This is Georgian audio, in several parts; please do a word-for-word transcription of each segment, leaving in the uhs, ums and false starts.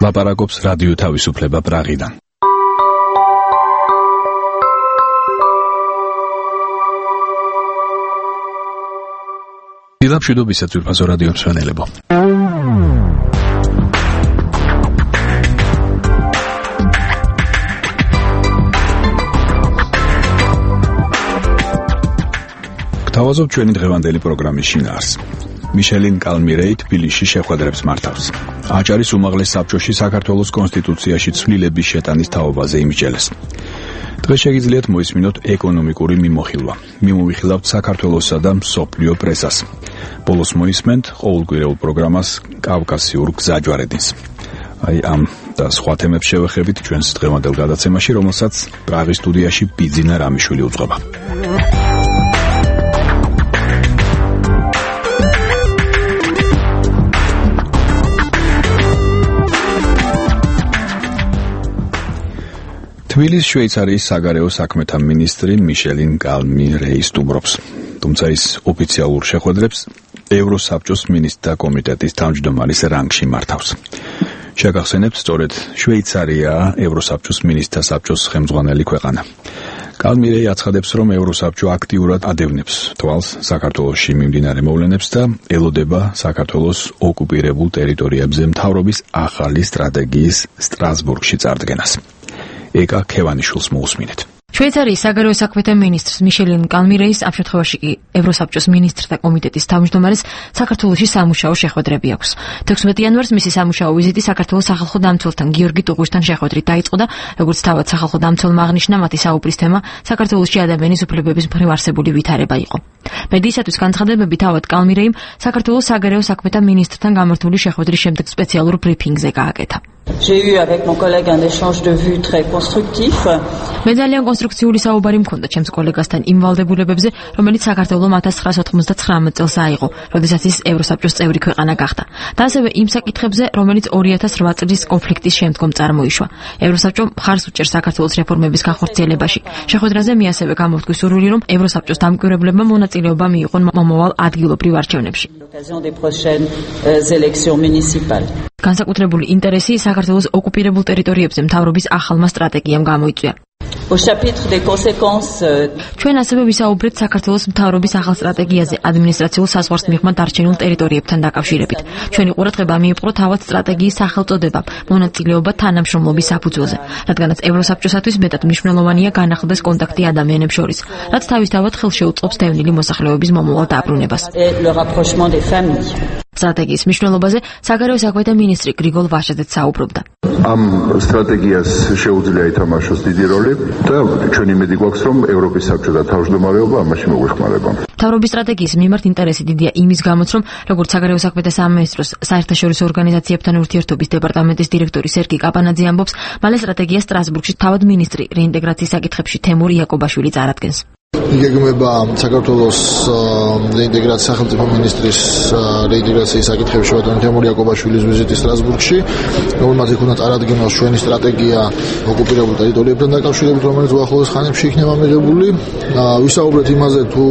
ლაპარაკობს რადიო თავისუფლება პრაღიდან. დილამშვიდობისა ძვირფასო რადიო მსმენელებო. გთავაზობ ჩვენი დღევანდელი პროგრამის შინაარს. მიშელინ კალმირეი თბილისში შეხვედრებს მართავს. აჭარის უმაღლეს საბჭოში საქართველოს კონსტიტუციაში ცვლილების შეტანის თაობაზე იმსჯელეს. დღეს შეგიძლიათ მოისმინოთ ეკონომიკური მიმოხილვა. მიმოვიხილავთ საქართველოსსა და მსოფლიო პრესას. ბოლოს მოისმენთ ყოველკვირეულ პროგრამას კავკასიურ გზაჯვარედინს. აი ამ და სხვა თემებს შევეხებით ჩვენს დღევანდელ გადაცემაში, რომელსაც პრაღის სტუდიაში ბიძინა რამიშვილი უძღვება. თბილისის შვეიცარიის საგარეო საქმეთა მინისტრი მიშელინ კალმირეი სტუმრობს. თუმცა ის ოფიციალურ შეხვედრებს ევროსაბჭოს მინისტრთა კომიტეტის თავმჯდომარის რანგში მართავს. შეგახსენებთ, სწორედ შვეიცარიაა ევროსაბჭოს მინისტრთა საბჭოს ხელმძღვანელი ქვეყანა. კალმირეი აცხადებს, რომ ევროსაბჭო აქტიურად ადევნებს თვალს საქართველოში მიმდინარე მოვლენებს და ელოდება საქართველოს ოკუპირებულ ტერიტორიებზე მთავრობის ახალი სტრატეგიის სტრასბურგში წარდგენას. ეკა ქევანიშვილს მოусმინეთ. შვეიცარიის საგარეო საქმეთა მინისტრს მიშელინ კალმირეის ამ შემთხვევაში კი ევროსაბჭოს მინისტრთა კომიტეტის თავმჯდომარეს საქართველოში სამუშაო შეხვედრები აქვს. თექვსმეტი იანვარს მისი სამუშაო ვიზიტი საქართველოს სახალხო დამცველთან გიორგი ტუღუშთან შეხვედრით დაიწყო და როგორც თავად სახალხო დამცველმა აღნიშნა, მათი საუბრის თემა საქართველოში ადამიანის უფლებების მხრივ არსებული ვითარება იყო. მედიისათვის განცხადებები თავად კალმირეიმ საქართველოს საგარეო საქმეთა მინისტრთან გამართული შეხვედრის შემდეგ სპეციალურ ბრიფინგზე გააკეთა. J'ai eu avec mon collègue un échange de vues très constructif. მე ძალიან კონსტრუქციული საუბარი მქონდა ჩემს კოლეგასთან იმ ვალდებულებებზე, რომელიც საქართველოს ათას ცხრაასი ოცდამოცდათხმეტ წელს აიღო, როდესაც ის ევროსაბჭოს წევრი ქვეყანა გახდა. და ასევე იმ საკითხებზე, რომელიც ორი ათას რვა წლის კონფლიქტის შემდგომ წარმოიშვა. ევროსაბჭო მხარს უჭერს საქართველოს რეფორმების განხორციელებაში. შეხვედრაზე მე ასევე გამოვთქვი სურვილი, რომ ევროსაბჭოს დამკვირვებლებმა მონაწილეობა მიიღონ მომავალ ადგილობრივ არჩევნებში. განსაკუთრებული ინტერესი საქართველოს ოკუპირებულ ტერიტორიებზე მთავრობის ახალმა სტრატეგიამ გამოიწვია. ჩვენ ასევე ვისაუბრეთ საქართველოს მთავრობის ახალ სტრატეგიაზე ადმინისტრაციულ საზღვარს მიღმა დარჩენილ ტერიტორიებთან დაკავშირებით. ჩვენი ყურადღება მიიპყრო თავად სტრატეგიის სახელწოდებამ, მონაწილეობა თანამშრომლობის საფუძველზე, რადგანაც ევროსაბჭოსათვის მეტად მნიშვნელოვანია განახლდეს კონტაქტი ადამიანებს შორის, რაც თავისთავად ხელშეუწყობს დევნილი მოსახლეობის მომავალ დაბრუნებას. სტრატეგიის მნიშვნელობაზე საგარეო საქმეთა მინისტრი გრიგოლ ვაშაძეც საუბრობდა. ამ სტრატეგიას შეუძლია ითამაშოს დიდი როლი და ჩვენი იმედი გვაქვს, რომ ევროპის საბჭო და თავმჯდომარეობა ამაში მოგვეხმარება. მთავრობის სტრატეგიის მიმართ ინტერესი დიდია იმის გამოც, რომ როგორც საგარეო საქმეთა სამინისტროს საერთაშორისო ორგანიზაციებთან ურთიერთობის დეპარტამენტის დირექტორი სერგი კაპანაძე ამბობს, მალე სტრატეგია სტრასბურგში თავად მინისტრი რეინტეგრაციის საკითხებში თემურ იაკობაშვილი წარადგენს. იგეგმება საქართველოს რეინტეგრაციის სახელმწიფო მინისტრის რეინტეგრაციის საკითხებში ბატონი თემურ იაკობაშვილის ვიზიტი სტრასბურგში, რომელმაც იქნა წარადგენოს ჩვენი სტრატეგია ოკუპირებულ ტერიტორიებთან დაკავშირებით, რომელიც უახლოეს ხანებში იქნება მიღებული. ვისაუბრეთ იმაზე, თუ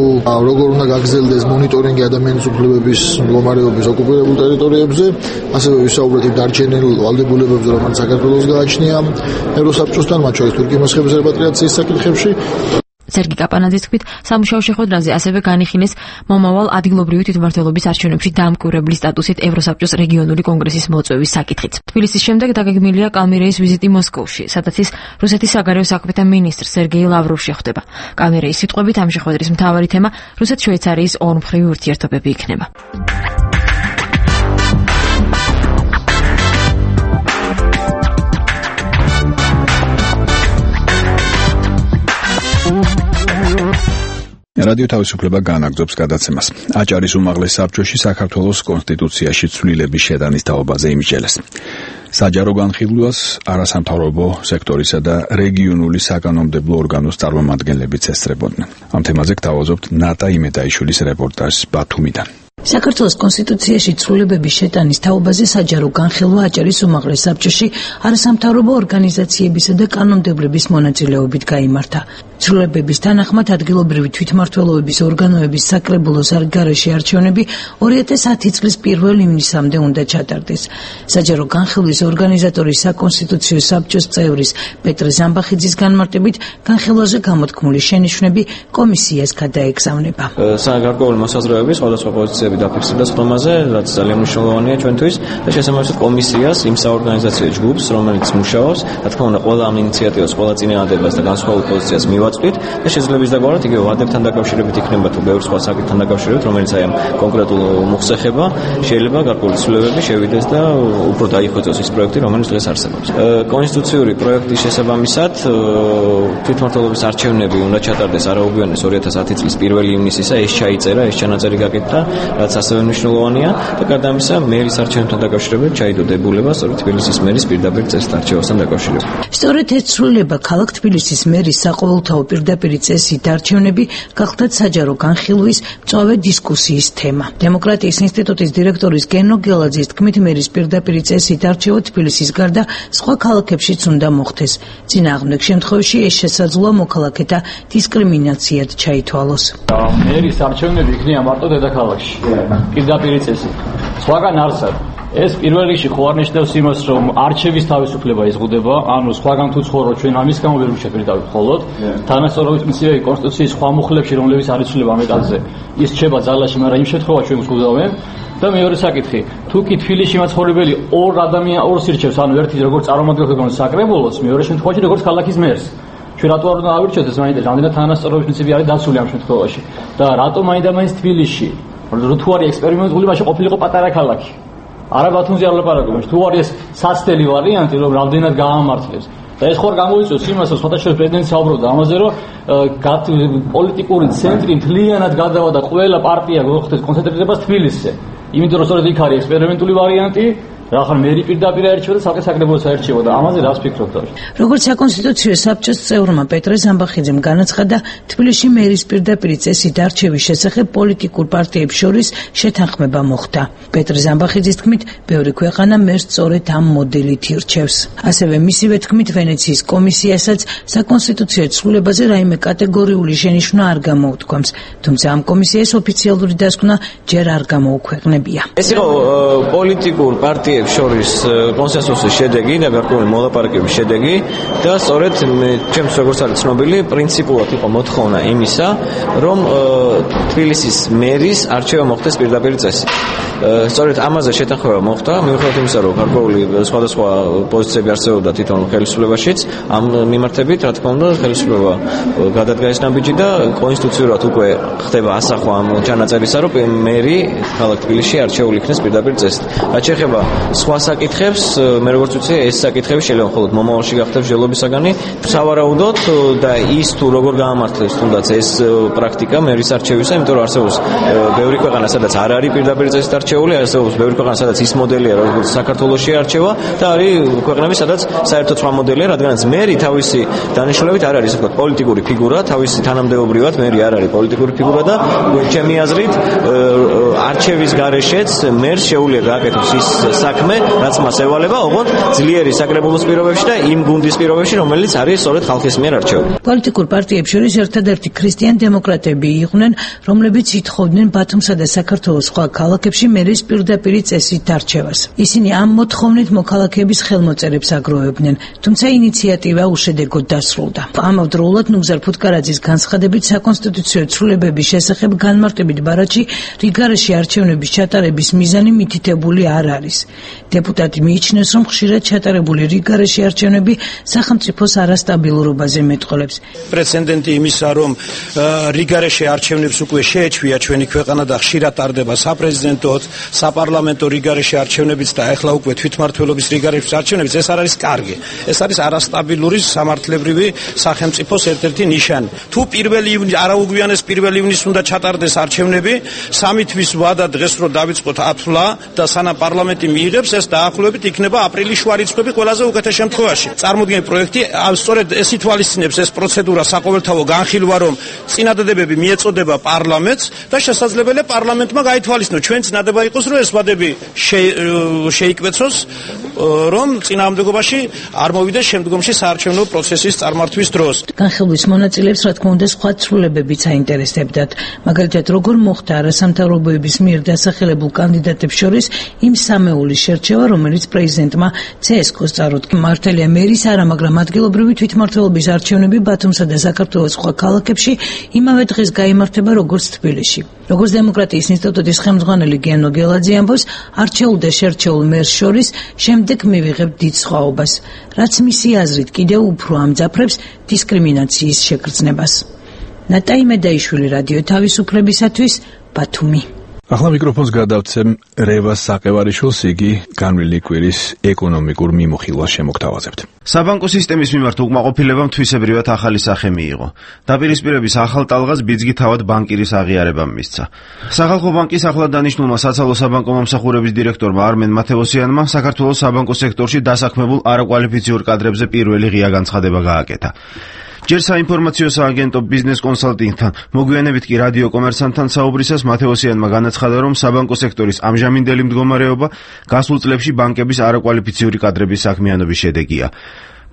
როგორ უნდა გაგრძელდეს მონიტორინგი ადამიანის უფლებების მდგომარეობის ოკუპირებულ ტერიტორიებზე, ასევე ვისაუბრეთ იმ დარჩენილ ვალდებულებებზე, რომელიც საქართველოს გააჩნია ევროსაბჭოსთან, მათ შორის თურქეთის მოსხების რეპატრიაციის საკითხებში. სერგი კაპანაძის თქმით, სამუშაო შეხვედრაზე ასევე განიხილეს მომავალ ადგილობრივი თვითმმართველობის არჩევნებში დამკვირვებლის სტატუსით ევროსაბჭოს რეგიონული კონგრესის მოწვევის საკითხიც. თბილისის შემდეგ დაგეგმილია კალმირეის ვიზიტი მოსკოვში, სადაც ის რუსეთის საგარეო საქმეთა მინისტრ სერგეი ლავროვს შეხვდება. კალმირეის სიტყვებით ამ შეხვედრის მთავარი თემა რუსეთ-შვეიცარიის ორმხრივი ურთიერთობები იქნება. რადიო თავისუფლება განაგრძობს გადაცემას. აჭარის უმაღლეს საბჭოში საქართველოს კონსტიტუციაში ცვლილების შეტანის თაობაზე იმსჯელეს. საჯარო განხილვას არასამთავრობო სექტორისა და რეგიონული საკანონმდებლო ორგანოს წარმომადგენლებიც ესწრებოდნენ. ამ თემაზე გთავაზობთ ნატა იმედაიშვილის რეპორტაჟს ბათუმიდან. საქართველოს კონსტიტუციაში ცვლილებების შეტანის თაობაზე საჯარო განხილვა აჭარის უმაღლეს საბჭოში არასამთავრობო ორგანიზაციებისა და კანონმდებლების მონაწილეობით გაიმართა. ცვლილებების თანახმად ადგილობრივი თვითმმართველობის ორგანოების საკრებულო სარგარეშე არჩევნები ორი ათას ათი წლის პირველ ივნისამდე უნდა ჩატარდეს. საჯარო განხილვის ორგანიზატორის საკონსტიტუციო საბჭოს წევრის პეტრე ზამბახიძის განმარტებით განხილვაზე გამოთქმული შენიშვნები კომისიას გადაეგზავნება. გარკვეული მოსაზრებები, სხვადასხვა პოზიციები დაფიქსირდა სხდომაზე, რაც ძალიან მნიშვნელოვანია ჩვენთვის და შესაბამისად კომისიას იმ საორგანიზაციო ჯგუფს, რომელიც მუშაობს, რა თქმა უნდა, ყველა ამ ინიციატივას, ყველა წინააღმდეგობას და განსხვავებულ პოზიციას მივაწვდით და შესაძლებელი დაგვაროთ იგივე ვადებთან დაკავშირებით იქნება თუ ბევრ სხვა საკითხთან დაკავშირებით, რომელიც აი ამ კონკრეტულ მოხს ეხება, შეიძლება გარკვეული ცვლილებები შევიდეს და უფრო დაიხვეწოს ის პროექტი, რომელიც დღეს არსებობს. კონსტიტუციური პროექტის შესაბამისად თვითმმართველობის არჩევნები უნდა ჩატარდეს არაუგვიანეს ორი ათას ათი წლის პირველ ივნისისა, ეს ჩაიწერა, ეს ჩანაწერი გაკეთდა, რაც ასევე მნიშვნელოვანია და გარდა ამისა, მერის არჩევნებთან დაკავშირებით ჩაიდო დებულება სწორედ თბილისის მერის პირდაპირ წესით არჩევასთან დაკავშირებით. სწორედ ეს ცვლილება ქალაქ თბილისის მერის საყოველთაო პირდაპირ წესით არჩევნები გახლდათ საჯარო განხილვის მწვავე დისკუსიის თემა. დემოკრატიის ინსტიტუტის დირექტორის გენო გელაძის თქმით, მერის პირდაპირ წესით არჩევა თბილისის გარდა სხვა ქალაქებშიც უნდა მოხდეს. წინააღმდეგ შემთხვევაში ეს შესაძლოა მოქალაქეთა დისკრიმინაციად ჩაითვალოს. მერის არჩევნები იქნება მარტო დედაქალაქში. პირდაპირ წესით. სხვაგან არსად ეს პირველ რიგში ხო არ ნიშნავს იმას, რომ არჩევის თავისუფლება იზღუდება, ანუ სხვაგან თუ ცხოვრობ ჩვენ ამის გამო ვერ შეფერდავით მხოლოდ თანასწორობის პრინციპი კონსტიტუციის სხვა მუხლებში, რომლებიც არ იცვლება მეტალზე, ის რჩება ძალაში, მაგრამ იმ შემთხვევაში ჩვენ გვხვდავენ. და მეორე საკითხი, თუ კი თბილისში მაცხოვრებელი ორ ადამიანს ორს ირჩევს, ანუ ერთი როგორც წარმომადგენელს საკრებულოს, მეორე შემთხვევაში როგორც ქალაქის მერს. ჩვენ რატო არ უნდა ავირჩიოთ ეს მაინდა რამდენად თანასწორობის პრინციპი არის დაცული ამ შემთხვევაში და რატო მაინდა მაინც თბილისში თუ არის ექსპერიმენტული მაშინ ყოფილიყო პატარა ქალაქი არა ბათუმზე არ ლაპარაკობენ თუ არის საცდელი ვარიანტი რომ რამდენად გაამართლებს და ეს ხوار გამოიწვევს იმას რომ სხვადასხვა პრეზიდენტი საუბრობდა ამაზე რომ პოლიტიკური ცენტრი მთლიანად გადავა და ყველა პარტია მოხდეს კონცენტრირებას თბილისზე იმიტომ რომ სწორედ იქ არის ექსპერიმენტული ვარიანტი რა ხარ მერი პირდაპირ აერჩევა და საკითხ საკრებულოს აერჩევა და ამაზე რას ფიქრობთ? როგორც საკონსტიტუციო საბჭოს წევრმა პეტრე ზამბახიძემ განაცხადა, თბილისში მერის პირდაპირ წესით არჩევის შესახებ პოლიტიკურ პარტიებს შორის შეთანხმება მოხდა. პეტრე ზამბახიძის თქმით, ბევრი ქვეყანა მერს სწორედ ამ მოდელით ირჩევს. ასევე მისივე თქმით, ვენეციის კომისიასაც საკონსტიტუციო ცვლილებაზე რაიმე კატეგორიული შენიშვნა არ გამოუთქვამს, თუმცა ამ კომისიას ოფიციალური დასკვნა ჯერ არ გამოუქვეყნებია. ეს იყო პოლიტიკურ პარტიებს შორის კონსენსუსის შედეგი და გარკვეული მოლაპარაკების შედეგი და სწორედ ჩემს როგორც არის ცნობილი პრინციპულად იყო მოთხოვნა იმისა რომ თბილისის მერის არჩევა მოხდეს პირდაპირ წესით. სწორედ ამაზე შეთანხმება მოხდა მიუხედავად იმისა რომ გარკვეული სხვადასხვა პოზიციები არსებობდა თვითონ ხელისუფლებაშიც ამ მიმართებით რა თქმა უნდა ხელისუფლება გადადგა ეს ნაბიჯი და კონსტიტუციურად უკვე ხდება ასახვა ამ ჩანაწერისა რომ მერი ქალაქ თბილისში არჩეული იქნეს პირდაპირ წესით. რაც შეეხება სხვა საკითხებს მე როგორც ვიცი ეს საკითხები შეიძლება მხოლოდ მომავალში გახდეს ჯელობისაგანი სავარაუდოდ და ის თუ როგორ გაამართლებს თუნდაც ეს პრაქტიკა მერის არჩევისა იმიტომ რომ არსებობს ბევრი ქვეყანა სადაც არ არის პირდაპირ წესით არჩეული არსებობს ბევრი ქვეყანა სადაც ის მოდელია როგორც საქართველოში არჩევა და არის ქვეყნები სადაც საერთოდ სხვა მოდელია რადგანაც მერი თავისი დანიშნულებით არ არის თქვა პოლიტიკური ფიგურა თავისი თანამდებობრივად მერი არ არის პოლიტიკური ფიგურა და ჩემი აზრით არჩევის გარეშეც მერს შეუძლია გააკეთოს ის საქმე, რაც მას ევალება, ოღონდ ძლიერი საკრებულოს პირობებში და იმ გუნდის პირობებში, რომელიც არის სწორედ ხალხის მიერ არჩეული. პოლიტიკურ პარტიებს შორის ერთადერთი ქრისტიან დემოკრატები იყვნენ, რომლებიც ითხოვდნენ ბათუმსა და საქართველოს სხვა ქალაქებში მერის პირდაპირ წესით არჩევას. ისინი ამ მოთხოვნით მოქალაქეების ხელმოწერებს აგროვებდნენ, თუმცა ინიციატივა უშედეგოდ დასრულდა. ამავდროულად ნუგზარ ფუტკარაძის განცხადებით საკონსტიტუციო ცვლილებების შესახებ განმარტებით ბარათში რიგარეში არჩევნების ჩატარების მიზანი მითითებული არ არის. დეპუტატი მიიჩნევს, რომ ხშირად ჩატარებული რიგარეში არჩევნები სახელმწიფოს არასტაბილურობაზე მეტყოლებს. პრეცედენტი იმისა, რომ რიგარეში არჩევნებს უკვე შეეჩვია ჩვენი ქვეყანა და ხშირად ტარდება საპრეზიდენტოც, საპარლამენტო რიგარეში არჩევნებიც და ახლა უკვე თვითმმართველობის რიგარეში არჩევნებიც, ეს არ არის კარგი. ეს არის არასტაბილური სამართლებრივი სახელმწიფოს ერთ-ერთი ნიშანი. თუ პირველი ივნისი არაუგვიანეს პირველი ივნისს უნდა ჩატარდეს არჩევნები, სამი თვის ვადა დღეს რო დავიწყოთ ათვლა და სანამ პარლამენტი იღებს, ეს დაახლოებით იქნება აპრილის შუა რიცხვები ყველაზე უკეთეს შემთხვევაში. წარმოდგენილი პროექტი სწორედ ეს ითვალისწინებს ეს პროცედურა საყოველთაო განხილვა, რომ წინადადებები მიეწოდება პარლამენტს და შესაძლებელია პარლამენტმა გაითვალისწინოს, ჩვენ წინადება იყოს, რომ ეს ვადები შეიკვეცოს, რომ წინააღმდეგობაში არ მოვიდეს შემდგომში საარჩევნო პროცესის წარმართვის დროს. განხილვის მონაწილეებს, რა თქმა უნდა, სხვა ცვლილებებიც აინტერესებდათ. მაგალითად, როგორ მოხდა არასამთავრობოების მიერ დასახელებულ კანდიდატებს შორის იმ სამეულის შერჩევა, რომელიც პრეზიდენტმა ცსკ-ს წარუდგა. მართალია მერის არა, მაგრამ ადგილობრივი თვითმმართველობის არჩევნები ბათუმსა და საქართველოს სხვა ქალაქებში იმავე დღეს გაიმართება როგორც თბილისში. როგორც დემოკრატიის ინსტიტუტის ხელმძღვანელი გენო გელაძე ამბობს, არჩეულ და შერჩეულ მერს შორის შემდეგ მივიღებთ დიდ სხვაობას, რაც მისი აზრით კიდევ უფრო ამძაფრებს დისკრიმინაციის შეგრძნებას. ნატაი მედაიშვილი, რადიო თავისუფლებისათვის, ბათუმი. ახლა მიკროფონს გადავცემ რევას საყევარიშვილს, იგი განვლილი კვირის ეკონომიკურ მიმოხილვას შემოგთავაზებთ. საბანკო სისტემის მიმართ უკმაყოფილებამ თვისებრივად ახალი სახე მიიღო. დაპირისპირების ახალ ტალღას ბიძგი თავად ბანკირის აღიარებამ მისცა. სახალხო ბანკის ახლად დანიშნულმა საცალო საბანკო მომსახურების დირექტორმა არმენ მათევოსიანმა საქართველოს საბანკო სექტორში დასაქმებულ არაკვალიფიციურ კადრებზე პირველი ღია განცხადება გააკეთა. ჯერ საინფორმაციო სააგენტო ბიზნეს კონსალტინგთან, მოგვიანებით კი რადიო კომერსანტთან საუბრისას მათევოსიანმა განაცხადა, რომ საბანკო სექტორის ამჟამინდელი მდგომარეობა გასულ წლებში ბანკების არაკვალიფიციური კადრების საქმიანობის შედეგია.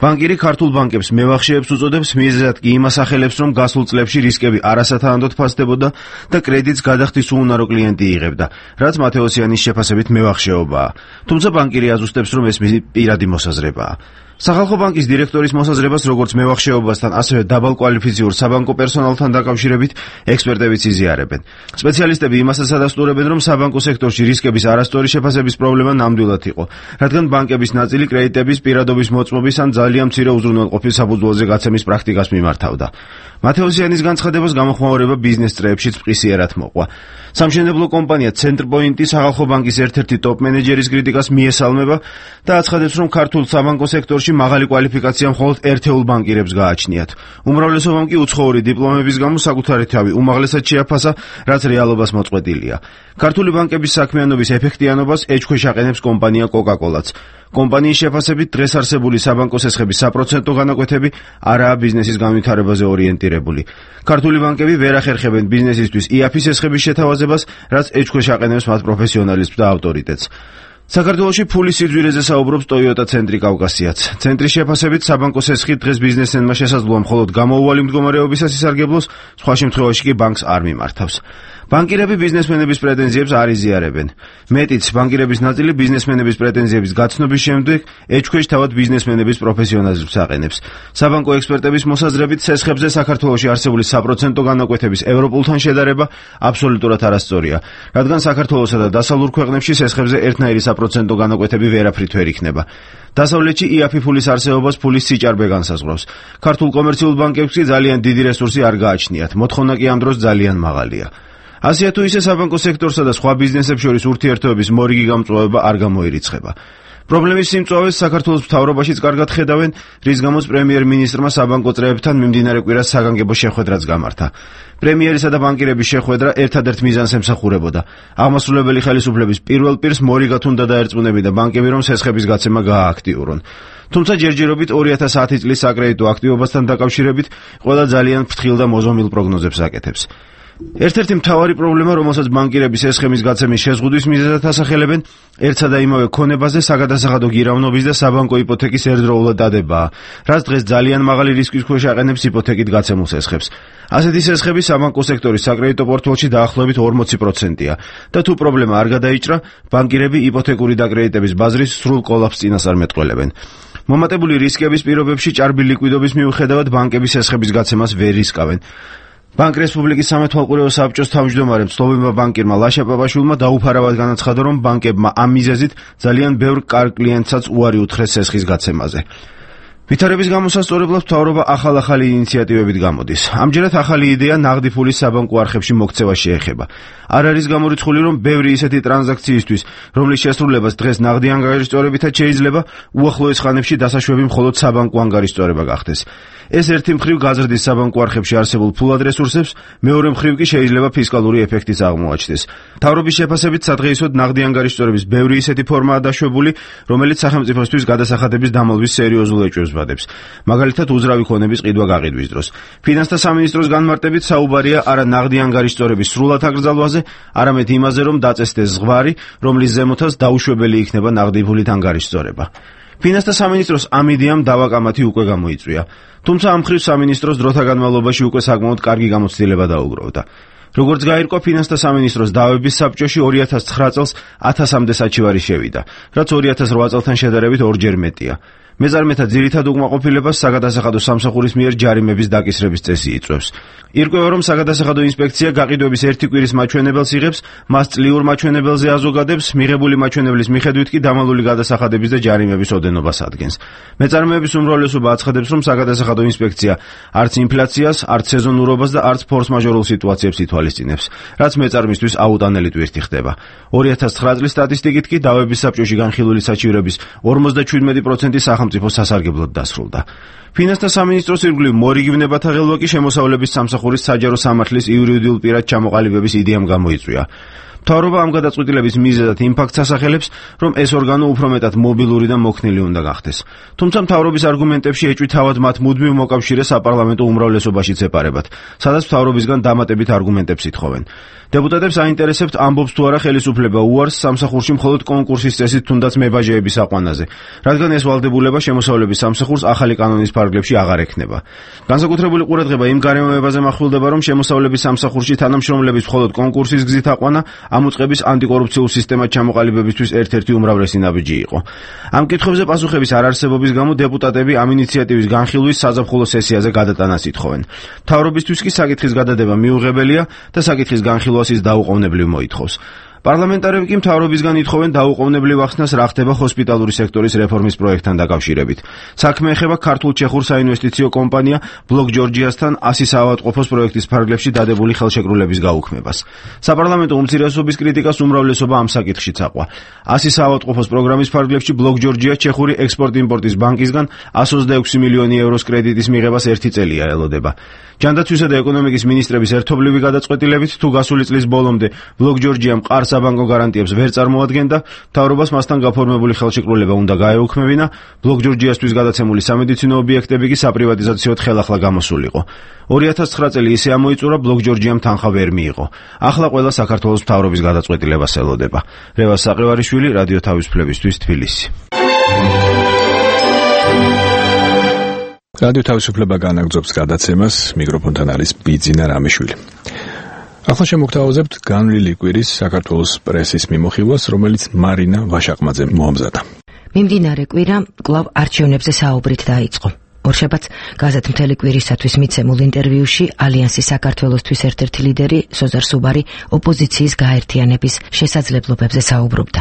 ბანკირი ქართულ ბანკებს მევახშეებს უწოდებს, მიზეზად კი იმას ახელებს, რომ გასულ წლებში რისკები არასათანადოდ ფასდებოდა და კრედიტს გადახდის უუნარო კლიენტი იღებდა, რაც მათევოსიანის შეფასებით მევახშეობაა. თუმცა ბანკირი აზუსტებს, რომ ეს მისი პირადი მოსაზრებაა. სახალხო ბანკის დირექტორის მოსაზრებას როგორც მევახშეობასთან, ასევე დაბალკვალიფიციურ საბანკო პერსონალთან დაკავშირებით ექსპერტებიც იზიარებენ. სპეციალისტები იმასაც ადასტურებენ, რომ საბანკო სექტორში რისკების არასწორი შეფასების პრობლემა ნამდვილად იყო, რადგან ბანკების ნაწილი კრედიტების პირადობის მოწმობის ან ძალიან მცირე უზრუნველყოფის საფუძველზე გაცემის პრაქტიკას მიმართავდა. მათევოსიანის განცხადებას გამოხმაურება ბიზნეს წრეებშიც მყისიერად მოყვა. სამშენებლო კომპანია ცენტრპოინტი სახალხო ბანკის ერთ-ერთი ტოპ მენეჯერის კრიტიკას მიესალმება და აცხადებს, რომ ქართულ საბანკო სექტორში მაღალი კვალიფიკაცია მხოლოდ ერთეულ ბანკირებს გააჩნიათ. უმრავლესობამ კი უცხოური დიპლომების გამო საკუთარი თავი უმაღლესად შეაფასა, რაც რეალობას მოწყვეტილია. ქართული ბანკების საქმიანობის ეფექტიანობას ეჭქვეშ აყენებს კომპანია კოკაკოლაც. კომპანიის შეფასებით დღეს არსებული საბანკო სესხების საპროცენტო განაკვეთები არაა ბიზნესის განვითარებაზე ორიენტირებული. ქართული ბანკები ვერ ახერხებენ ბიზნესისთვის ი-აფ-ის სესხების შეთავაზებას, რაც ეჭქვეშ აყენებს მათ პროფესიონალიზმს და ავტორიტეტს. საქართველოში ფულის სიძვირეზე საუბრობს Toyota ცენტრი კავკასიაც. ცენტრის შეფასებით საბანკო სესხი დღეს ბიზნესმენმა შესაძლოა მხოლოდ გამოუვალი მდგომარეობისას ისარგებლოს, სხვა შემთხვევაში კი ბანკს არ მიმართავს. ბანკირები ბიზნესმენების პრეტენზიებს არ იზიარებენ. მეტიც, ბანკირების ნაწილი ბიზნესმენების პრეტენზიების გაცნობის შემდეგ ეჭქვეშ თავად ბიზნესმენების პროფესიონალიზმს აყენებს. საბანკო ექსპერტების მოსაზრებით, სესხებზე საქართველოში არსებული საპროცენტო განაკვეთების ევროპულთან შედარება აბსოლუტურად არასწორია, რადგან საქართველოსა და დასავლურ ქვეყნებში სესხებზე ერთნაირი საპროცენტო განაკვეთები ვერაფრით ვერ იქნება. დასავლეთში ი-აფ-ი ფულის არსებობას ფულის სიჭარბე განსაზღვრავს. ქართულ კომერციულ ბანკებს კი ძალიან დიდი რესურსი არ გააჩნიათ, მოთხოვნა კი ამ დროს ძალიან მაღალია. ასია თუ ისე საბანკო სექტორსა და სხვა ბიზნესებს შორის ურთიერთობების მორიგი გამწვავება არ გამოირიცხება. პრობლემის სიმწვავეს საქართველოს მთავრობაშიც კარგად ხედავენ, რის გამოც პრემიერ-მინისტრმა საბანკო წრეებთან მიმდინარე კვირას საგანგებო შეხვედრაც გამართა. პრემიერისა და ბანკირების შეხვედრა ერთადერთ მიზანს ემსახურებოდა. აღმასრულებელი ხელისუფლების პირველ პირს მორიგად უნდა დაერწმუნებინა ბანკები, რომ სესხების გაცემა გაააქტიურონ. თუმცა ჯერჯერობით ორი ათას ათი წლის საკრედიტო აქტივობასთან დაკავშირებით ყველა ძალიან ფრთხილ და მოზომილ პროგნოზებს აკეთებს. ერთ-ერთი მთავარი პრობლემა, რომელსაც ბანკირების ეს სხემის გაცემის შეზღუდვის მიზეზად ასახელებენ, ერთსა და იმავე ქონებაზე საგადასახადო გირავნობის და საბანკო იპოთეკის ერთდროულად დადებაა, რაც დღეს ძალიან მაღალი რისკის ქვეშ აყენებს იპოთეკით გაცემულ სესხებს. ასეთი სესხები საბანკო სექტორის საკრედიტო პორტფელში დაახლოებით ორმოცი პროცენტია და თუ პრობლემა არ გადაიჭრა, ბანკირები იპოთეკური დაკრედიტების ბაზრის სრულ კოლაფსს წინასწარ მეტყველებენ. მომატებული რისკების პირობებში ჭარბი ლიკვიდობის მიუხედავად ბანკების სესხების გაცემას ვერ რისკავენ. ბანკ რესპუბლიკის სამეთვალყურეო საბჭოს თავმჯდომარემ ცნობილმა ბანკირმა ლაშა პაპაშვილმა დაუფარავად განაცხადა, რომ ბანკებმა ამ მიზეზით ძალიან ბევრ კარგ კლიენტსაც უარი უთხრეს სესხის გაცემაზე. ვითარების გამოსასწორებლად მთავრობა ახალ-ახალი ინიციატივებით გამოდის. ამჯერად ახალი იდეა ნაღდი ფულის საბანკო არხებში მოქცევა შეეხება. არ არის გამორიცხული, რომ ბევრი ისეთი ტრანზაქციისთვის, რომლის შესრულებას დღეს ნაღდი ანგარიშწორებითაც შეიძლება, უახლოეს ხანებში დასაშვები მხოლოდ საბანკო ანგარიშწორება გახდეს. ეს ერთი მხრივ გაზრდის საბანკო არხებში არსებულ ფულად რესურსებს, მეორე მხრივ კი შეიძლება ფისკალური ეფექტიც აღმოაჩნდეს. მთავრობის შეფასებით სადღეისოდ ნაღდი ანგარიშწორების ბევრი ისეთი ფორმაა დაშვებული, რომელიც სახელმწიფოსთვის გადასახადების დამალვის სერიოზულ ეჭვებს ვადებს. მაგალითად, უძრავი ქონების ყიდვა გაყიდვის დროს. ფინანსთა სამინისტროს განმარტებით საუბარია არა ნაღდი ანგარიშწორების სრულად აკრძალვაზე, არამედ იმაზე, რომ დაწესდეს ზღვარი, რომლის ზემოთაც დაუშვებელი იქნება ნაღდი ფულით ანგარიშწორება. ფინანსთა სამინისტროს ამ იდეამ დავაკამათი უკვე გამოიწვია. თუმცა ამ მხრივ სამინისტროს დროთა განმავლობაში უკვე საკმაოდ კარგი გამოცდილება დაუგროვდა. როგორც გაირკვა, ფინანსთა სამინისტროს დავების საბჭოში ორი ათას ცხრა წელს ათასამდე საჩივარი შევიდა, რაც ორი ათას რვა წელთან შედარებით ორჯერ მეტია. მეწარმეთა ძირითად უკმაყოფილებას საგადასახადო სამსახურის მიერ ჯარიმების დაკისრების წესი იწვევს. ირკვევა, რომ საგადასახადო ინსპექცია გაყიდვების ერთი კვირის მაჩვენებელს იღებს, მას წლიურ მაჩვენებელზე აზოგადებს, მიღებული მაჩვენებლის მიხედვით კი დამალული გადასახადების და ჯარიმების ოდენობას ადგენს. მეწარმეების უმრავლესობა აცხადებს, რომ საგადასახადო ინსპექცია არც ინფლაციას, არც სეზონურობას და არც ფორს-მაჟორულ სიტუაციებს ითვალისწინებს, რაც მეწარმისთვის აუტანელი ტვირთი ხდება. ორი ათას ცხრა წლის სტატისტიკით კი დავების საბჭოში განხილული საჩივრების ორმოცდაჩვიდმეტი პროცენტი სახელმწიფო სასარგებლოდ დასრულდა. ფინანსთა სამინისტროს ირგვლივ მორიგნებათა ღელვა კი შემოსავლების სამსახურის საჯარო სამართლის იურიდიულ პირად ჩამოყალიბების იდეამ გამოიწვია. მთავრობა ამ გადაწყვეტილების მიზეზად იმ ფაქტს ასახელებს, რომ ეს ორგანო უფრო მეტად მობილური და მოქნილი უნდა გახდეს. თუმცა მთავრობის არგუმენტებში ეჭვი თავად მათ მუდმივ მოკავშირეს საპარლამენტო უმრავლესობაშიც ეპარებათ, სადაც მთავრობისგან დამატებით არგუმენტებს ითხოვენ. დეპუტატებს აინტერესებთ, ამბობს თუ არა ხელისუფლება უარს სამსახურში მხოლოდ კონკურსის წესით თუნდაც მებაჟეების აყვანაზე, რადგან ეს ვალდებულება შემოსავლების სამსახურს ახალი კანონის ფარგლებში აღარ ექნება. განსაკუთრებული ყურადღება იმ გარემოებაზე მახვილდება, რომ შემოსავლების სამსახურში თანამშრომლების მხოლოდ კონკურსის გზით აყვანა ამ უწყების ანტიკორუფციულ სისტემად ჩამოყალიბებისთვის ერთ-ერთი უმრავლესი ნაბიჯი იყო. ამ კითხვებზე პასუხების არარსებობის გამო დეპუტატები ამ ინიციატივის განხილვის საზაფხულო სესიაზე გადატანას ითხოვენ. მთავრობისთვის კი საკითხის გადადება მიუღებელია და საკითხის განხილვას ის დაუყოვნებლივ მოითხოვს. პარლამენტარები კი მთავრობისგან ითხოვენ დაუყოვნებლივ ახსნას რა ხდება ჰოსპიტალური სექტორის რეფორმის პროექტთან დაკავშირებით. საქმე ეხება ქართულ-ჩეხურ საინვესტიციო კომპანია ბლოკ ჯორჯიასთან ასი საავადმყოფოს პროექტის ფარგლებში დადებული ხელშეკრულების გაუქმებას. საპარლამენტო უმცირესობის კრიტიკას უმრავლესობა ამ საკითხშიც აყვა. ასი საავადმყოფოს პროგრამის ფარგლებში ბლოკ ჯორჯია ჩეხური ექსპორტ-იმპორტის ბანკისგან εκατს ოცდაექვსი მილიონი ევროს კრედიტის მიღებას ერთი წელია ელოდება. ჯანდაცვისა და ეკონომიკის მინისტრების ერთობლივი გადაწყვეტილებით თუ გასული წლის ბოლომდე ბლოკ ჯორჯიამ მყარ საბანკო გარანტიებს ვერ წარმოადგენდა, მთავრობას მასთან გაფორმებული ხელშეკრულება უნდა გაეუქმებინა, ბლოკ ჯორჯიასთვის გადაცემული სამედიცინო ობიექტები კი საპრივატიზაციოდ ხელახლა გამოსულიყო. ორი ათას ცხრა წელი ისე ამოიწურა, ბლოკ ჯორჯიამ თანხა ვერ მიიღო. ახლა ყველა საქართველოს მთავრობის გადაწყვეტილებას ელოდება. რევაზ საყევარიშვილი, რადიო თავისუფლებისთვის, თბილისი. რადიო თავისუფლება განაგრძობს გადაცემას, მიკროფონთან არის ბიძინა რამიშვილი. ახლა შემოგთავაზებთ განვლილი კვირის საქართველოს პრესის მიმოხილვას, რომელიც მარინა ვაშაყმაძემ მოამზადა. მიმდინარე კვირა კვლავ არჩევნებზე საუბრით დაიწყო. ორშაბათს გაზეთ მთელი კვირისათვის მიცემულ ინტერვიუში ალიანსის საქართველოსთვის ერთ-ერთი ლიდერი სოზარ სუბარი ოპოზიციის გაერთიანების შესაძლებლობებზე საუბრობდა.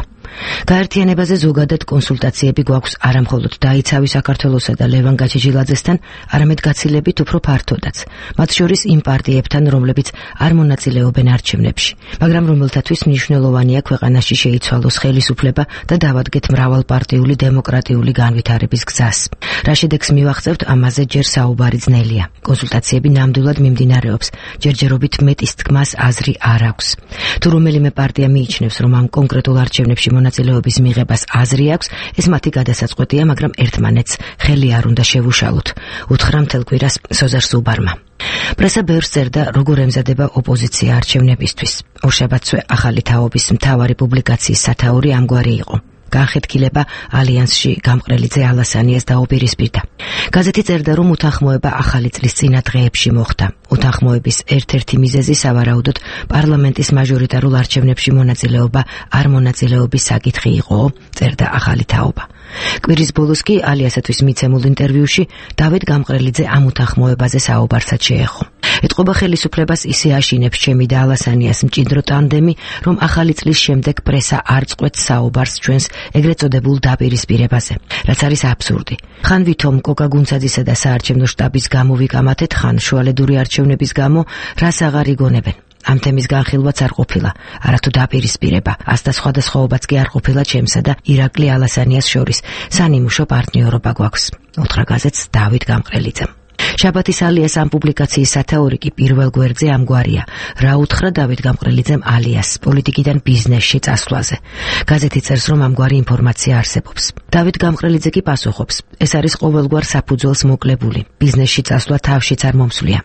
გაერთიანებაზე ზოგადად კონსულტაციები გვაქვს არა მხოლოდ დაიცავი საქართველოსა და ლევან გაჩიჩილაძესთან, არამედ გაცილებით უფრო ფართოდაც, მათ შორის იმ პარტიებთან, რომლებიც არ მონაწილეობენ არჩევნებში, მაგრამ რომელთათვის მნიშვნელოვანია ქვეყანაში შეიცვალოს ხელისუფლება და დავადგეთ მრავალპარტიული დემოკრატიული განვითარების გზას. რა შედეგს მივახცევთ, ამაზე ჯერ საუბარი ძნელია. კონსულტაციები ნამდვილად მიმდინარეობს, ჯერჯერობით მეტის თქმას აზრი არ აქვს. თუ რომელიმე პარტია მიიჩნევს, რომ ამ კონკრეტულ არჩევნებში მონაწილეობის მიღებას აზრი აქვს, ეს მათი გადასაწყვეტია, მაგრამ ერთმანეთს ხელი არ უნდა შევუშალოთ, უთხრა მთელ კვირას სოზარ სუბარმა. პრესა ბევრს წერდა, როგორ ემზადება ოპოზიცია არჩევნებისთვის. ორშაბათსვე ახალი თაობის მთავარი პუბლიკაციის სათაური ამგვარი იყო. განხეთქილება ალიანსში გამყრელიძე ალასანიას დაუპირისპირდა. გაზეთი წერდა, რომ უთანხმოება ახალი წლის წინა დღეებში მოხდა. უთანხმოების ერთ-ერთი მიზეზი სავარაუდოდ პარლამენტის მაჟორიტარულ არჩევნებში მონაწილეობა არ მონაწილეობის საკითხი იყო, წერდა ახალი თაობა. კვირის ბოლოს კი ალიასათვის მიცემულ ინტერვიუში დავით გამყრელიძე ამ უთანხმოებაზე საუბარსაც შეეხო. ეთყობა ხელისუფლებას ისე აშინებს ჩემი და ალასანიას მჭიდრო ტანდემი, რომ ახალი წლის შემდეგ პრესა არ წყვეტს საუბარს ჩვენს ეგრეთ წოდებულ დაპირისპირებაზე, რაც არის აბსურდი. ხან ვითომ კოკა გუნცაძისა და საარჩევნო შტაბის გამო ვიკამათეთ, ხან შუალედური არჩევნების გამო რას აღარ იგონებენ. ამ თემის განხილვაც არ ყოფილა, არათუ დაპირისპირება, ასთა სხვადასხვაობაც კი არ ყოფილა ჩემსა და ირაკლი ალასანიას შორის. სანიმუშო პარტნიორობა გვაქვს, უთხრა გაზეთს დავით გამყრელიძემ. შაბათის ალიას ამ პუბლიკაციის სათაური კი პირველ გვერდზე ამგვარია. რა უთხრა დავით გამყრელიძემ ალიას პოლიტიკიდან ბიზნესში წასვლაზე. გაზეთი წერს, რომ ამგვარი ინფორმაცია არსებობს. დავით გამყრელიძე კი პასუხობს, ეს არის ყოველგვარ საფუძველს მოკლებული. ბიზნესში წასვლა თავშიც არ მომსვლია.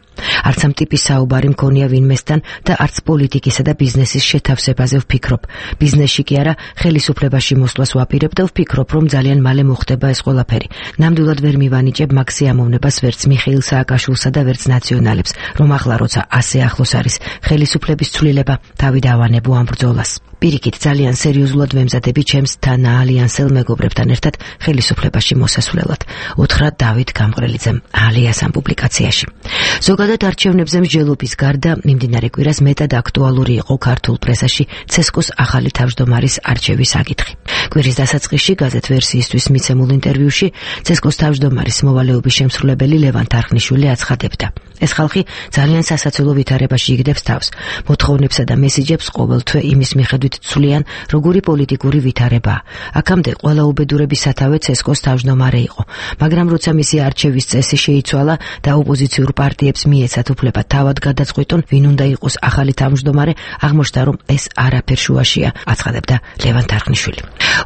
არც ამ ტიპის საუბარი მქონია ვინმესთან და არც პოლიტიკისა და ბიზნესის შეთავსებაზე ვფიქრობ. ბიზნესში კი არა, ხელისუფლებაში მოსვლას ვაპირებ და ვფიქრობ, რომ ძალიან მალე მოხდება ეს ყველაფერი. ნამდვილად ვერ მივანიჭებ მაგ სიამოვნებას ვერც მიხეილ სააკაშვილსა და ვერც ნაციონალებს, რომ ახლა როცა ასე ახლოს არის ხელისუფლების ცვლილება, თავი დავანებო ამ ბრძოლას. პირიქით, ძალიან სერიოზულად ვემზადები ჩემს თანაალიანსელ მეგობრებთან ერთად ხელისუფლებაში მოსასვლელად. უთხრა დავით გამყრელიძემ ალიას ამ პუბლიკაციაში. ზოგადად არჩევნებზე მსჯელობის გარდა მიმდინარე კვირას მეტად აქტუალური იყო ქართულ პრესაში ცესკოს ახალი თავმჯდომარის არჩევის საკითხი. კვირის დასაწყისში გაზეთ ვერსიისთვის მიცემულ ინტერვიუში ცესკოს თავმჯდომარის მოვალეობის შემსრულებელი ლევან თარხნიშვილი აცხადებდა, ეს ხალხი ძალიან სასაცილო ვითარებაში იგდებს თავს. მოთხოვნებსა და მესიჯებს ყოველთვე იმის მიხედვით ცვლიან, როგორი პოლიტიკური ვითარებაა. აქამდე ყველა უბედურების სათავე ცესკოს თავმჯდომარე იყო, მაგრამ როცა მისი არჩევის წესი შეიცვალა და ოპოზიციურ პარტიებს მიეცათ უფლება თავად გადაწყვიტონ, ვინ უნდა იყოს ახალი თავმჯდომარე, აღმოჩნდა, რომ ეს არაფერ შუაშია, აცხადებდა ლევან თარხნიშვილი.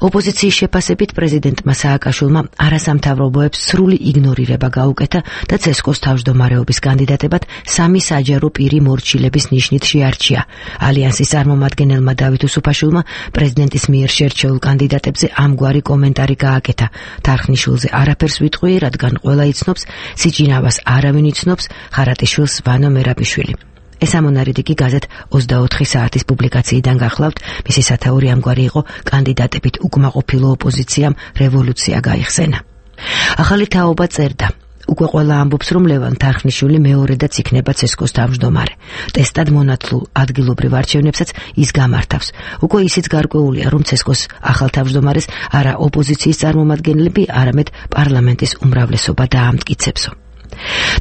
ოპოზიციის შეფასებით პრეზიდენტმა სააკაშვილმა არასამთავრობოებს სრული იგნორირება გაუკეთა და ცესკოს თავმჯდომარეობის კანდიდატებად სამი საჯარო პირი მორჩილების ნიშნით შეარჩია. ალიანსის წარმომადგენელმა დავით უსუფაშვილმა პრეზიდენტის მიერ შერჩეულ კანდიდატებზე ამგვარი კომენტარი გააკეთა. თარხნიშვილზე არაფერს ვიტყვი, რადგან ყველა იცნობს, სიჭინავას არავინ იცნობს, ხარატიშვილს ვანო მერაბიშვილი. ეს ამონარიდი კი გაზეთ ოცდაოთხი საათის პუბლიკაციიდან გახლავთ, მისი სათაური ამგვარი იყო, კანდიდატებით უკმაყოფილო ოპოზიციამ რევოლუცია გაიხსენა. ახალი თაობა წერდა, უკვე ყველა ამბობს, რომ ლევან თარხნიშვილი მეორედაც იქნება ცესკოს თავმჯდომარე. ტესტად მონათლულ ადგილობრივ არჩევნებსაც ის გამართავს. უკვე ისიც გარკვეულია, რომ ცესკოს ახალ თავმჯდომარეს არა ოპოზიციის წარმომადგენლები, არამედ პარლამენტის უმრავლესობა დაამტკიცებსო.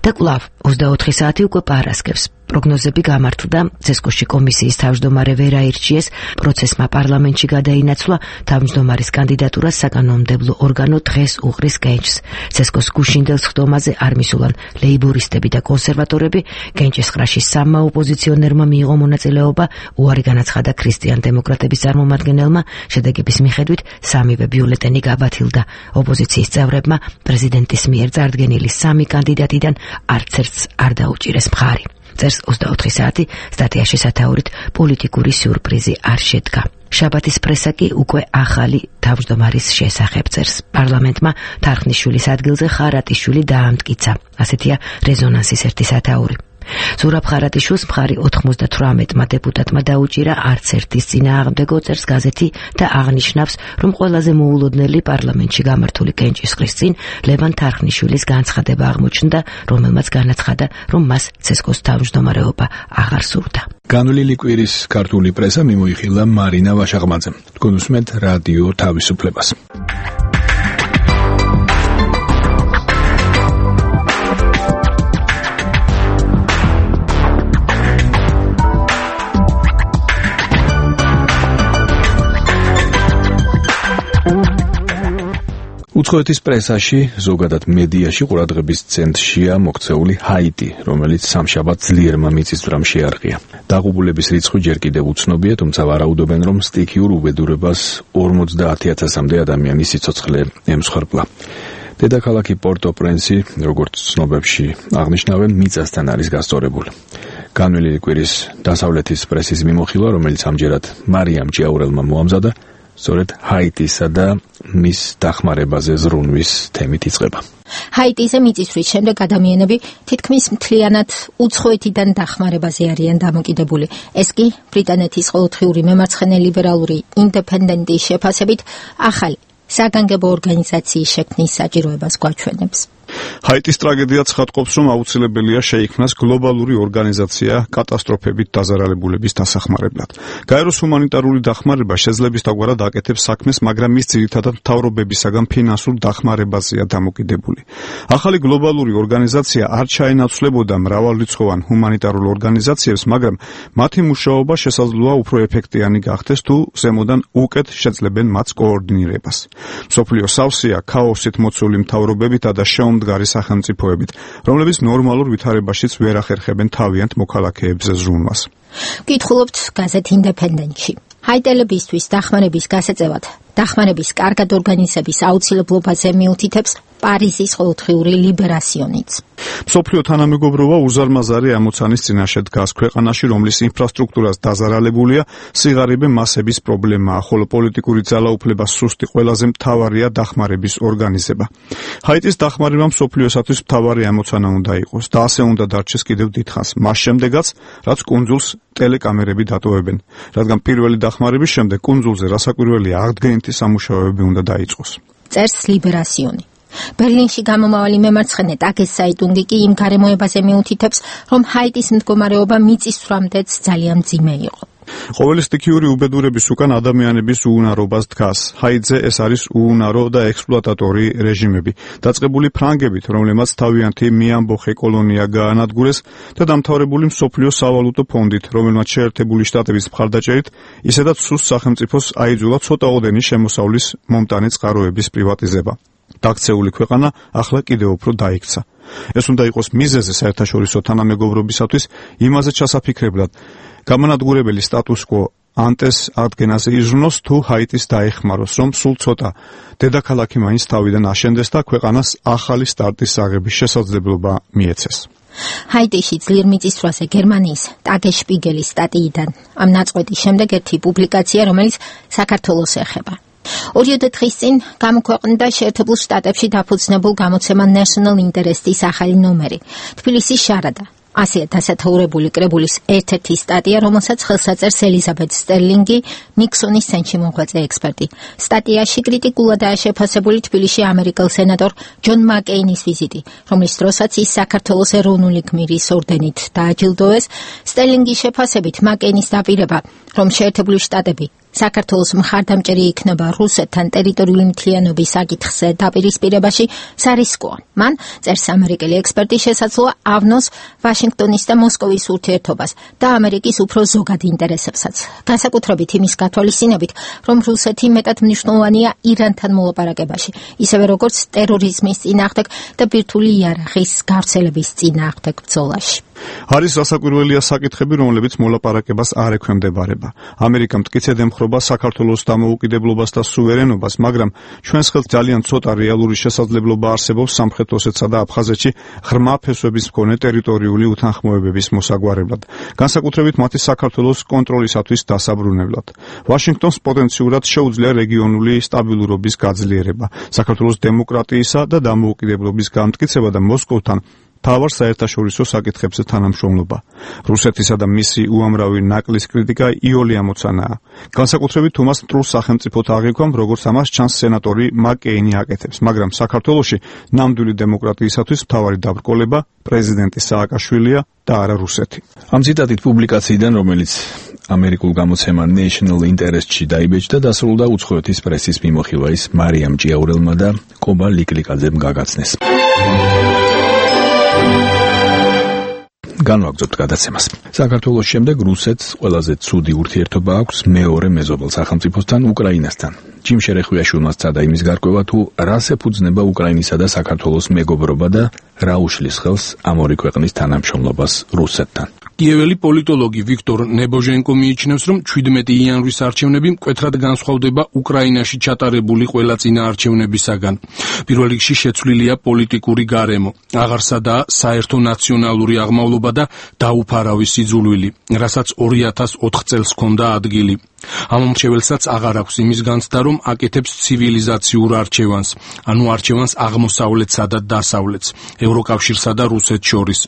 და კვლავ ოცდაოთხი საათი უკვე პარასკევს. პროგნოზები გამართლდა, ცესკოში კომისიის თავმჯდომარე ვერ აირჩიეს, პროცესმა პარლამენტში გადაინაცვლა, თავმჯდომარის კანდიდატურას საკანონმდებლო ორგანო დღეს უყრის გენჯს. ცესკოს გუშინდელ სხდომაზე არ მისულან ლეიბორისტები და კონსერვატორები, გენჯის ხრაში სამმა ოპოზიციონერმა მიიღო მონაწილეობა, უარი განაცხადა ქრისტიან-დემოკრატების წარმომადგენელმა, შედეგების მიხედვით სამივე ბიულეტენი გაბათილდა. ოპოზიციის წევრებმა პრეზიდენტის მიერ წარდგენილი სამი კანდიდატიდან არც ერთს არ დაუჭირეს მხარი. წერს ოცდაოთხი საათი სტატიაში სათაურით პოლიტიკური სიურპრიზი არ შედგა. შაბათის პრესა კი უკვე ახალი თავმჯდომარის შესახებ წერს. პარლამენტმა თარხნიშვილის ადგილზე ხარატიშვილი დაამტკიცა. ასეთია რეზონანსის ერთი სათაური. ზურაბ ხარატიშვილს მხარი ოთხმოცდათვრამეტმა დეპუტატმა დაუჭირა, არც ერთის წინააღმდეგო, წერს გაზეთი და აღნიშნავს, რომ ყველაზე მოულოდნელი პარლამენტში გამართული კენჭისყრის წინ ლევან თარხნიშვილის განცხადება აღმოჩნდა, რომელმაც განაცხადა, რომ მას ცესკოს თავმჯდომარეობა აღარ სურდა. განვლილი კვირის ქართული პრესა მიმოიხილა მარინა ვაშაღმაძემ. თქვენ უსმენთ რადიო თავისუფლებას. უცხოეთის პრესაში, ზოგადად მედიაში ყურადღების ცენტრშია მოქცეული ჰაიტი, რომელიც სამშაბათ ძლიერმა მიწისძვრამ შეარყია. დაღუპულების რიცხვი ჯერ კიდევ უცნობია, თუმცა ვარაუდობენ, რომ სტიქიურ უბედურებას ორმოცდაათი ათასამდე ადამიანის სიცოცხლე ემსხვერპლა. დედაქალაქი პორტო-პრენსი, როგორც ცნობებში აღნიშნავენ, მიწასთან არის გასწორებული. განვლილი კვირის დასავლეთის პრესის მიმოხილვა, რომელიც ამჯერად მარიამ ჭიაურელმა მოამზადა, სწორედ ჰაიტისა და მის დახმარებაზე ზრუნვის თემით იწყება. ჰაიტიზე მიწისძვრის შემდეგ ადამიანები თითქმის მთლიანად უცხოეთიდან დახმარებაზე არიან დამოკიდებული. ეს კი ბრიტანეთის ყოველდღიური მემარცხენე ლიბერალური ინდეპენდენტის შეფასებით ახალი საგანგებო ორგანიზაციის შექმნის საჭიროებას გვაჩვენებს. ჰაიტის ტრაგედია ცხადყოფს, რომ აუცილებელია შეიქმნას გლობალური ორგანიზაცია კატასტროფებით დაზარალებულების დასახმარებლად. გაეროს ჰუმანიტარული დახმარება შეძლებისდაგვარად აკეთებს საქმეს, მაგრამ ის ძირითადად მთავრობებისაგან ფინანსურ დახმარებაზეა დამოკიდებული. ახალი გლობალური ორგანიზაცია არ ჩაენაცვლებოდა მრავალრიცხოვან ჰუმანიტარულ ორგანიზაციებს, მაგრამ მათი მუშაობა შესაძლოა უფრო ეფექტიანი გახდეს, თუ ზემოდან უკეთ შეძლებენ მათს კოორდინირებას. მსოფლიო სავსეა ქაოსით მოცული მთავრობებითა და შეუმდგარი შემდგარი სახელმწიფოებით, რომლებიც ნორმალურ ვითარებაშიც ვერ ახერხებენ თავიანთ მოქალაქეებზე ზრუნვას. გითხულობთ გაზეთ ინდეპენდენტში. ჰაიტელებისთვის დახმარების გასაწევად დახმარების კარგად ორგანიზების აუცილებლობაზე მიუთითებს პარიზის ყოველდღიური ლიბერასიონიც. მსოფლიო თანამეგობრობა უზარმაზარი ამოცანის წინაშე დგას ქვეყანაში, რომლის ინფრასტრუქტურას დაზარალებულია სიღარიბე მასების პრობლემაა, ხოლო პოლიტიკური ძალაუფლება სუსტი ყველაზე მთავარია დახმარების ორგანიზება. ჰაიტის დახმარება მსოფლიოსათვის მთავარი ამოცანა უნდა იყოს და ასე უნდა დარჩეს კიდევ დიდხანს, მას შემდეგაც, რაც კუნძულს ტელეკამერები დატოვებენ, რადგან პირველი დახმარების შემდეგ კუნძულზე რასაკვირველია აღდგენითი სამუშაოები უნდა დაიწყოს. წერს ლიბერასიონი. ბერლინში გამომავალი მემარცხენე ტაგეს საიტუნგი კი იმ გარემოებაზე მიუთითებს, რომ ჰაიტის მდგომარეობა მიწისძვრამდეც ძალიან მძიმე იყო. ყოველი სტიქიური უბედურების უკან ადამიანების უუნარობას დგას. ჰაიტზე ეს არის უუნარო და ექსპლუატატორი რეჟიმები, დაწყებული ფრანგებით, რომლებმაც თავიანთი მიამბოხე კოლონია გაანადგურეს და დამთავრებული მსოფლიო სავალუტო ფონდით, რომელმაც შეერთებული შტატების მხარდაჭერით ისედაც სუსტ სახელმწიფოს აიძულა ცოტაოდენი შემოსავლის მომტანი წყაროების პრივატიზება. დაქცეული ქვეყანა ახლა კიდევ უფრო დაიქცა. ეს უნდა იყოს მიზეზი საერთაშორისო თანამეგობრობისათვის იმაზე ჩასაფიქრებლად, გამანადგურებელი სტატუს-კვო ანტეს ადგენაზე იზრუნოს თუ ჰაიტის დაეხმაროს, რომ სულ ცოტა დედაქალაქი მაინც თავიდან აშენდეს და ქვეყანას ახალი სტარტის აღების შესაძლებლობა მიეცეს. ჰაიტიში ძლიერ მიწისძვრაზე გერმანიის ტაგეს შპიგელის სტატიიდან ამ ნაწყვეტის შემდეგ ერთი პუბლიკაცია, რომელიც საქართველოს ეხება. ორიოდე დღის წინ გამოქვეყნდა შეერთებულ შტატებში დაფუძნებულ გამოცემა National Interest-ის ახალი ნომერი. თბილისის შარადა. ასეა დასათაურებული კრებულის ერთ-ერთი სტატია, რომელსაც ხელს აწერს ელიზაბეთ სტერლინგი, ნიქსონის ცენტრში მოღვაწე ექსპერტი. სტატიაში კრიტიკულადაა შეფასებული თბილისში ამერიკელ სენატორ ჯონ მაკეინის ვიზიტი, რომლის დროსაც ის საქართველოს ეროვნული გმირის ორდენით დააჯილდოეს. სტერლინგის შეფასებით მაკეინის დაპირება, რომ შეერთებული შტატები საქართველოს მხარდამჭერი იქნება რუსეთთან ტერიტორიული მთლიანობის საკითხზე დაპირისპირებაში სარისკოა. მან წერს ამერიკელი ექსპერტი შესაძლოა ავნოს ვაშინგტონის და მოსკოვის ურთიერთობას და ამერიკის უფრო ზოგად ინტერესებსაც. განსაკუთრებით იმის გათვალისწინებით, რომ რუსეთი მეტად მნიშვნელოვანია ირანთან მოლაპარაკებაში, ისევე როგორც ტერორიზმის წინააღმდეგ და ბირთვული იარაღის გავრცელების წინააღმდეგ ბრძოლაში. არის რასაკვირველია საკითხები, რომლებიც მოლაპარაკებას არ ექვემდებარება. ამერიკა მტკიცედ ემხრობა საქართველოს დამოუკიდებლობას და სუვერენობას, მაგრამ ჩვენს ხელთ ძალიან ცოტა რეალური შესაძლებლობა არსებობს სამხრეთ ოსეთსა და აფხაზეთში ღრმა ფესვების მქონე ტერიტორიული უთანხმოებების მოსაგვარებლად, განსაკუთრებით მათი საქართველოს კონტროლისათვის დასაბრუნებლად. ვაშინგტონს პოტენციურად შეუძლია რეგიონული სტაბილურობის გაძლიერება, საქართველოს დემოკრატიისა და დამოუკიდებლობის გამტკიცება და მოსკოვთან თავარ საერთაშორისო საკითხებზე თანამშრომლობა. რუსეთისა და მისი უამრავი ნაკლის კრიტიკა იოლი ამოცანაა. განსაკუთრებით თუ მას მტრულ სახელმწიფოთ აღიქვამ, როგორც ამას ჩანს სენატორი მაკეინი აკეთებს, მაგრამ საქართველოში ნამდვილი დემოკრატიისათვის მთავარი დაბრკოლება პრეზიდენტი სააკაშვილია და არა რუსეთი. ამ ციტატით პუბლიკაციიდან, რომელიც ამერიკულ გამოცემა National Interest-ში დაიბეჭდა, დასრულდა უცხოეთის პრესის მიმოხილვა ის მარიამ ჭიაურელმა და კობა ლიკლიკაძემ გაგაცნეს. განვაგრძობთ გადაცემას. საქართველოს შემდეგ რუსეთს ყველაზე ცუდი ურთიერთობა აქვს მეორე მეზობელ სახელმწიფოსთან, უკრაინასთან. ჯიმ შერეხვიაშვილმა სცადა იმის გარკვევა, თუ რას ეფუძნება უკრაინისა და საქართველოს მეგობრობა და რა უშლის ხელს ამ ორი ქვეყნის თანამშრომლობას რუსეთთან. კიეველი პოლიტოლოგი ვიქტორ ნებოჟენკო მიიჩნევს, რომ შვიდმეტი იანვრის არჩევნები მკვეთრად განსხვავდება უკრაინაში ჩატარებული ყველა წინა არჩევნებისაგან. პირველ რიგში შეცვლილია პოლიტიკური გარემო, აღარსადაა საერთო ნაციონალური აღმავლობა და დაუფარავი სიძულვილი, რასაც ორი ათას ოთხ წელს ჰქონდა ადგილი. ამ მომრჩეველსაც აღარ აქვს იმის განცდა, რომ აკეთებს ცივილიზაციურ არჩევანს, ანუ არჩევანს აღმოსავლეთსა და დასავლეთს, ევროკავშირსა და რუსეთს შორის.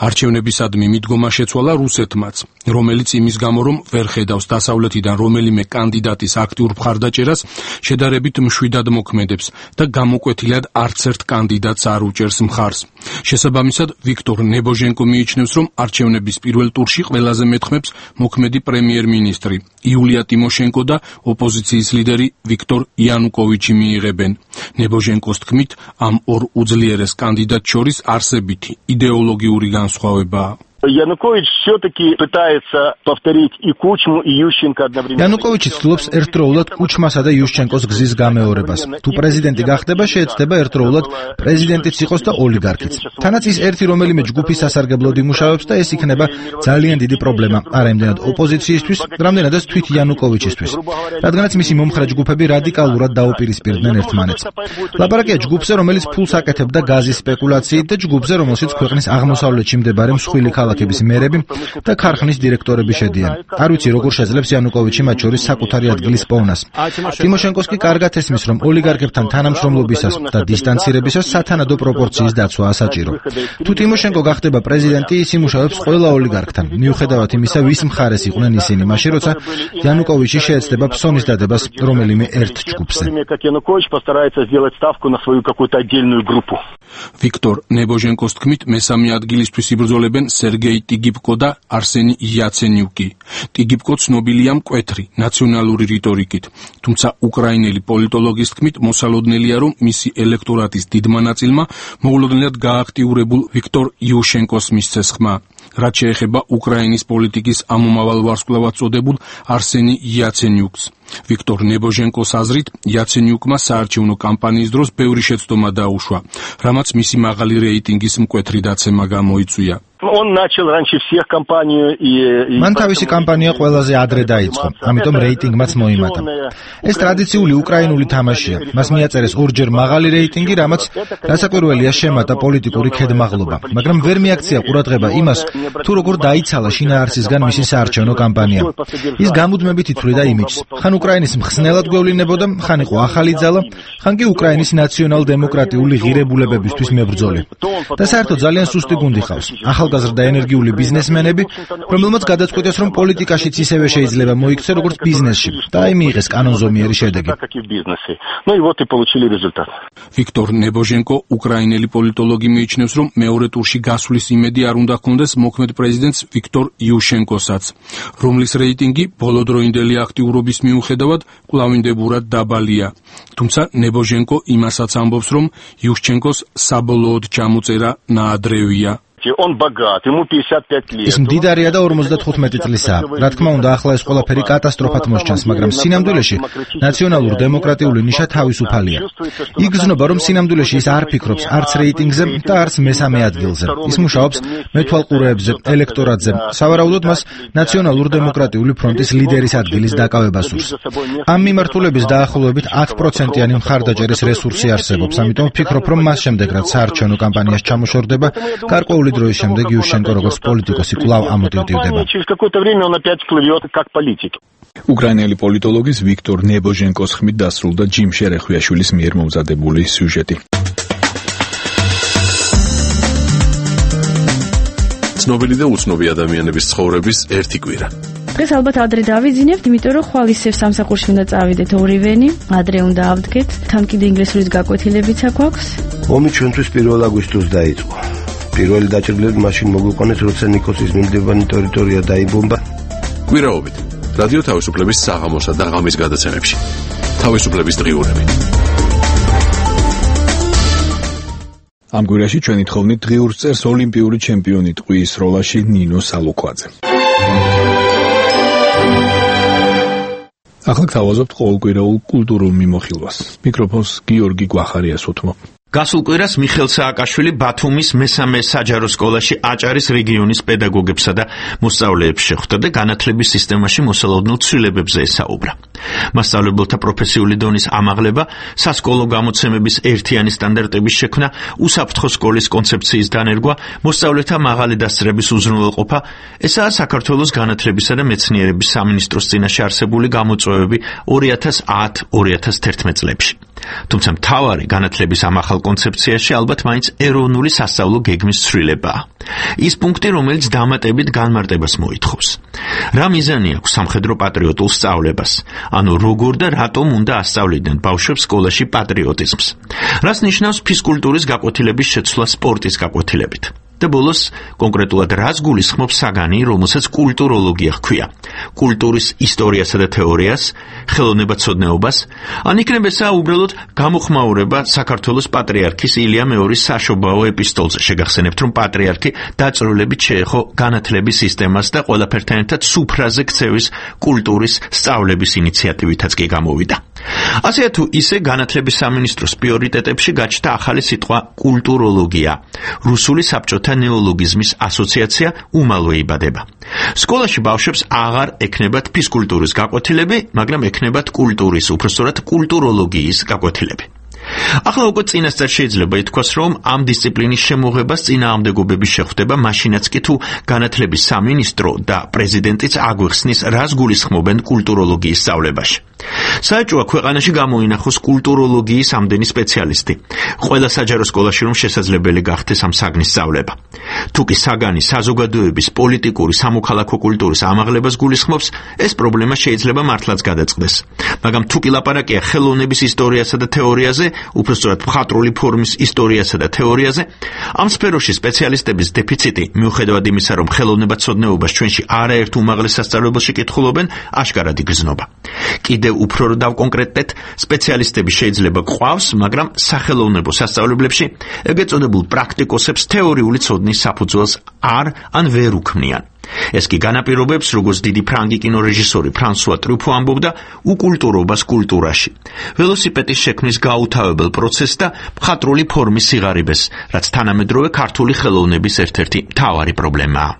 არჩევნებისადმი მიდგომა შეცვალა რუსეთმაც, რომელიც იმის გამო, რომ ვერ ხედავს დასავლეთიდან რომელიმე კანდიდატის აქტიურ მხარდაჭერას, შედარებით მშვიდად მოქმედებს და გამოკვეთილად არც ერთ კანდიდატს არ უჭერს მხარს. შესაბამისად, ვიქტორ ნებოჟენკო მიიჩნევს, რომ არჩევნების პირველ ტურში ყველაზე მეტხმებს მოქმედი პრემიერ-მინისტრი იულია ტიმოშენკო და ოპოზიციის ლიდერი ვიქტორ იანუკოვიჩი მიიღებენ. ნებოჟენკოს თქმით, ამ ორ უძლიერეს კანდიდატს შორის არსებითი იდეოლოგიური განსხვავებაა. Янукович все-таки пытается повторить и Кучму, и Ющенко одновременно. იანუკოვიჩი ცდილობს ერთდროულად კუჩმასა და იუშჩენკოს გზის გამეორებას. თუ პრეზიდენტი გახდება, შეეცდება ერთდროულად პრეზიდენტიც იყოს და ოლიგარქიც. თანაც ის ერთი რომელიმე ჯგუფის სასარგებლოდ იმუშავებს და ეს იქნება ძალიან დიდი პრობლემა, არა იმდენად ოპოზიციისთვის, რამდენადაც თვით იანუკოვიჩისთვის. რადგანაც მისი მომხრე ჯგუფები რადიკალურად დაუპირისპირდნენ ერთმანეთს. ლაპარაკია ჯგუფზე, რომელიც ფულს აკეთებდა გაზის სპეკულაციით და ჯგუფზე, რომელშიც ქვეყნის აღმოსავლეთში მდებარე მსხვილი ქალაქების მერები და ქარხნის დირექტორები შედიან. არ ვიცი, როგორ შეძლებს იანუკოვიჩი მათ შორის საკუთარი ადგილის პოვნას. ტიმოშენკოს კი კარგად ესმის, რომ ოლიგარქებთან თანამშრომლობისას და დისტანცირებისას სათანადო პროპორციის დაცვაა საჭირო. თუ ტიმოშენკო გახდება პრეზიდენტი, ის იმუშავებს ყველა ოლიგარქთან, მიუხედავად იმისა, ვის მხარეს იყვნენ ისინი, მაშინ როცა იანუკოვიჩი შეეცდება ფსონის დადებას რომელიმე ერთ ჯგუფზე. ვიქტორ ნებოჟენკოს თქმით, მესამე ადგილისთვის იბრძოლებენ სერგეი ტიგიპკო და არსენი იაცენიუკი. ტიგიპკო ცნობილია მკვეთრი ნაციონალური რიტორიკით, თუმცა უკრაინელი პოლიტოლოგის თქმით, მოსალოდნელია, რომ მისი ელექტორატის დიდმა ნაწილმა მოულოდნელად გააქტიურებულ ვიქტორ იუშენკოს მისცეს ხმა. რაც შეეხება უკრაინის პოლიტიკის ამომავალ ვარსკვლავად წოდებულ არსენი იაცენიუკს. ვიქტორ ნებოჟენკოს აზრით, იაცენიუკმა საარჩევნო კამპანიის დროს ბევრი შეცდომა დაუშვა, რამაც მისი მაღალი რეიტინგის მკვეთრი დაცემა გამოიწვია. Он начал раньше всех кампанию и მან თავისი კამპანია ყველაზე ადრე დაიწყო, ამიტომ რეიტინგმაც მოიმატა. ეს ტრადიციული უკრაინული თამაშია. მას მიაწერეს ორჯერ მაღალი რეიტინგი, რამაც რასაკვირველია შემატა პოლიტიკური ქედმაღლობა, მაგრამ ვერ მიაქცია ყურადღება იმას, თუ როგორ დაიცალა შინაარსისგან მისი საარჩევნო კამპანია. ის გამუდმებით ითვლიდა იმიჯს. ხან უკრაინის მხსნელად გვევლინებოდა, ხან იყო ახალი ძალა, ხან კი უკრაინის ნაციონალ-დემოკრატიული ღირებულებებისთვის მებრძოლი. და საერთოდ ძალიან სუსტი გუნდი ყავს. ახალგაზრდა ენერგიული ბიზნესმენები, რომელმაც გადაწყვიტეს, რომ პოლიტიკაშიც ისევე შეიძლება მოიქცე, როგორც ბიზნესში, და აი მიიღეს კანონზომიერი შედეგი. ვიქტორ ნებოჟენკო, უკრაინელი პოლიტოლოგი მიიჩნევს, რომ მეორე ტურში გასვლის იმედი არ უნდა ჰქონდეს მოქმედ პრეზიდენტს ვიქტორ იუშენკოსაც, რომლის რეიტინგი ბოლოდროინდელი აქტიურობის მიუხედავად კვლავინდებურად დაბალია. თუმცა ნებოჟენკო იმასაც ამბობს, რომ იუშენკოს საბოლოოდ ჩამოწერა ნაადრევია. ის მდიდარია და ორმოცდათხუთმეტი წლისაა. რა თქმა უნდა, ახლა ეს ყველაფერი კატასტროფად მოსჩანს, მაგრამ სინამდვილეში ნაციონალურ-დემოკრატიული ნიშა თავისუფალია. იგრძნობა, რომ სინამდვილეში ის არ ფიქრობს არც რეიტინგზე და არც მესამე ადგილზე. ის მუშაობს მეთვალყურეებზე, ელექტორატზე. სავარაუდოდ მას ნაციონალურ-დემოკრატიული ფრონტის ლიდერის ადგილის დაკავება სურს. ამ მიმართულების დაახლოებით ათი პროცენტიანი მხარდაჭერის რესურსი არსებობს, ამიტომ ვფიქრობ, რომ მას შემდეგ, რაც საარჩევნო კამპანიას ჩამოშორდება, გარკვეული დროის შემდეგ იუშენკო როგორც პოლიტიკოსი კვლავ ამოტივტივდება. უკრაინელი პოლიტოლოგის ვიქტორ ნებოჟენკოს ხმით დასრულდა ჯიმ შერეხვიაშვილის მიერ მომზადებული სიუჟეტი. ცნობილი და უცნობი ადამიანების ცხოვრების ერთი კვირა. დღეს ალბათ ადრე დავიძინებთ, იმიტომ რომ ხვალ ისევ სამსახურში უნდა წავიდეთ ორივენი, ადრე უნდა ავდგეთ, თან კიდე ინგლისურის გაკვეთილებიც აქვს. ომი ჩვენთვის პირველ აგვისტოს დაიწყო. პირველი დაჭრილები მაშინ მოგვიყვანეს, როცა ნიკოსის მიმდებარე ტერიტორია დაიბომბა. კვირაობით რადიო თავისუფლების საღამოსა და ღამის გადაცემებში. თავისუფლების დღიურები. ამ კვირაში ჩვენი თხოვნით დღიურს წერს ოლიმპიური ჩემპიონი ტყვიის როლაში ნინო სალუქვაძე. ახლა გთავაზობთ ყოველკვირეულ კულტურულ მიმოხილვას. მიკროფონს გიორგი გვახარიას უთმობ. გასულ კვირას მიხელ სააკაშვილი ბათუმის მესამე საჯარო სკოლაში აჭარის რეგიონის პედაგოგებსა და მოსწავლეებს შეხვდა და განათლების სისტემაში მოსალოდნელ ცვლილებებზე ესაუბრა. მასწავლებელთა პროფესიული დონის ამაღლება, სასკოლო გამოცემების ერთიანი სტანდარტების შექმნა, უსაფრთხო სკოლის კონცეფციის დანერგვა, მოსწავლეთა მაღალი დასწრების უზრუნველყოფა, ესაა საქართველოს განათლებისა და მეცნიერების სამინისტროს წინაშე არსებული გამოწვევები ორი ათას ათი ორი ათას თერთმეტ წლებში. თუმცა მთავარი განათლების ამახალ კონცეფციაში ალბათ მაინც ეროვნული სასწავლო გეგმის ცვლილებაა. ის პუნქტი, რომელიც დამატებით განმარტებას მოითხოვს. რა მიზანი აქვს სამხედრო პატრიოტულ სწავლებას? ანუ როგორ და რატომ უნდა ასწავლიდნენ ბავშვებს სკოლაში პატრიოტიზმს? რას ნიშნავს ფიზკულტურის გაკვეთილების შეცვლა სპორტის გაკვეთილებით? და ბოლოს კონკრეტულად რას გულისხმობს საგანი, რომელსაც კულტუროლოგია ჰქვია. კულტურის ისტორიასა და თეორიას, ხელოვნებაცოდნეობას, ან იქნება ესა უბრალოდ გამოხმაურება საქართველოს პატრიარქის ილია მეორის საშობაო ეპისტოლზე. შეგახსენებთ, რომ პატრიარქი დაწვრილებით შეეხო განათლების სისტემას და ყველაფერთან ერთად სუფრაზე ქცევის კულტურის სწავლების ინიციატივითაც კი გამოვიდა. ასეა თუ ისე განათლების სამინისტროს პრიორიტეტებში გაჩნდა ახალი სიტყვა კულტუროლოგია. რუსული საბჭოთა ნეოლოგიზმის ასოციაცია უმალვე იბადება. სკოლაში ბავშვებს აღარ ექნებათ ფიზკულტურის გაკვეთილები, მაგრამ ექნებათ კულტურის, უпростоრად კულტუროლოგიის გაკვეთილები. ახლა უკვე წინასწარ შეიძლება ითქვას, რომ ამ დისციპლინის შემოღებას წინააღმდეგობები შეხვდება, მაშინაც კი თუ განათლების სამინისტრო და პრეზიდენტიც აგვიხსნის, რას გულისხმობენ კულტუროლოგიის სწავლებაში. საჭოა ქვეყანაში გამოინახოს კულტუროლოგიის ამდენი სპეციალისტი. ყველა საჯარო სკოლაში რომ შესაძლებელი გახდეს ამ საგნის სწავლება. თუ კი საგანი საზოგადოების პოლიტიკური სამოქალაქო კულტურის ამაღლებას გულისხმობს, ეს პრობლემა შეიძლება მართლაც გადაწყდეს. მაგრამ თუ კი ლაპარაკია ხელოვნების ისტორიასა და თეორიაზე, უпростоრად მხატვრული ფორმის ისტორიასა და თეორიაზე, ამ სფეროში სპეციალისტების დეფიციტი, მიუხედავად იმისა, რომ ხელოვნებაცოდნეობას ჩვენში არაერთ უმაღლეს სასწავლებელში კითხულობენ, აშკარად იგრძნობა. კიდევ უფრო დავკონკრეტდეთ, სპეციალისტები შეიძლება გვყავს, მაგრამ სახელოვნებო სასწავლებლებში ეგრეთ წოდებულ პრაქტიკოსებს თეორიული ცოდნის საფუძველს არ ან ვერ უქმნიან. ეს კი განაპირობებს, როგორც დიდი ფრანგი კინორეჟისორი ფრანსუა ტრუფო ამბობდა, უკულტურობას კულტურაში. ველოსიპედის შექმნის გაუთავებელ პროცესს და მხატვრული ფორმის სიღარიბეს, რაც თანამედროვე ქართული ხელოვნების ერთ-ერთი მთავარი პრობლემაა.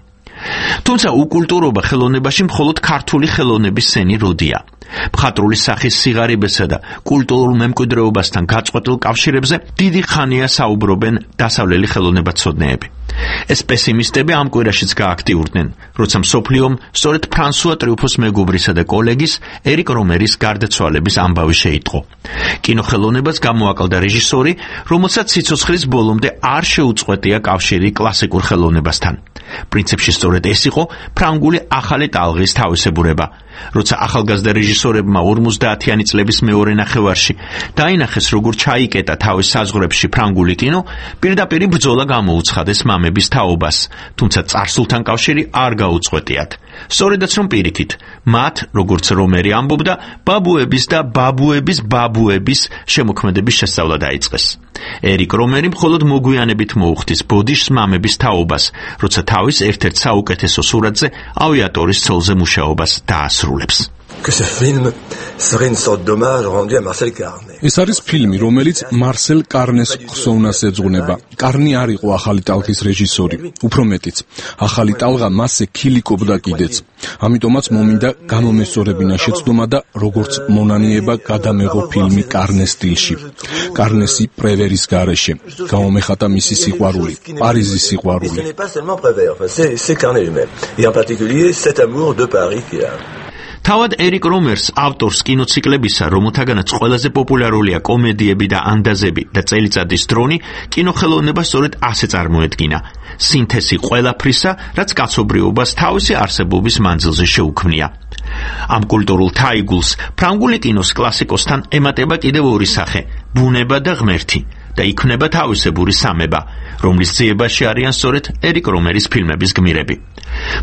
თუმცა უკულტურობა ხელოვნებაში მხოლოდ ქართული ხელოვნების სენი როდია. მხატვრული სახის სიღარიბესა და კულტურულ მემკვიდრეობასთან გაწყვეტილ კავშირებზე დიდი ხანია საუბრობენ დასავლელი ხელოვნებაცოდნეები. ეს პესიმისტები ამ კვირაშიც გააქტიურდნენ, როცა მსოფლიომ სწორედ ფრანსუა ტრიუფოს მეგობრისა და კოლეგის ერიკ რომერის გარდაცვალების ამბავი შეიტყო. კინოხელოვნებას გამოაკლდა რეჟისორი, რომელსაც სიცოცხლის ბოლომდე არ შეუწყვეტია კავშირი კლასიკურ ხელოვნებასთან. პრინციპში სწორედ ეს იყო ფრანგული ახალი ტალღის თავისებურება. როცა ახალგაზრდა რეჟისორებმა ორმოცდაათიანი წლების მეორე ნახევარში დაინახეს, როგორ ჩაიკეტა თავის საზღვრებში ფრანგული კინო, პირდაპირ ბრძოლა გამოუცხადეს მამების თაობას, თუმცა წარსულთან კავშირი არ გაუწყვეტიათ. სწორედაც რომ პირიქით, მათ, როგორც რომერი ამბობდა, ბაბუების და ბაბუების ბაბუების შემოქმედების შესწავლა დაიწყეს. ერიკ რომერი მხოლოდ მოგვიანებით მოუხდის ბოდიშს მამების თაობას, როცა თავის ერთ-ერთ საუკეთესო სურათზე ავიატორის ცოლზე მუშაობას დაასრულებს. ეს არის ფილმი, რომელიც მარსელ კარნეს ხსოვნას ეძღვნება. კარნი არ იყო ახალი ტალღის რეჟისორი, უფრო მეტიც. ახალი ტალღა მასზე ქილიკობდა კიდეც. ამიტომაც მომინდა გამომესწორებინა შეცდომა და როგორც მონანიება გადამეღო ფილმი კარნეს სტილში. კარნესი პრევერის გარეშე. გამომეხატა მისი სიყვარული, პარიზის სიყვარული. თავად ერიკ რომერს, ავტორს კინოციკლებისა, რომელთაგანაც ყველაზე პოპულარულია კომედიები და ანდაზები და წელიწადის დრონი, კინოხელოვნება სწორედ ასე წარმოედგინა. სინთეზი ყველაფრისა, რაც კაცობრიობას თავისი არსებობის მანძილზე შეუქმნია. ამ კულტურულ თაიგულს ფრანგული კინოს კლასიკოსთან ემატება კიდევ ორი სახე: ბუნება და ღმერთი. და იქმნება თავისებური სამება, რომლის ძიებაში არიან სწორედ ერიკ რომერის ფილმების გმირები.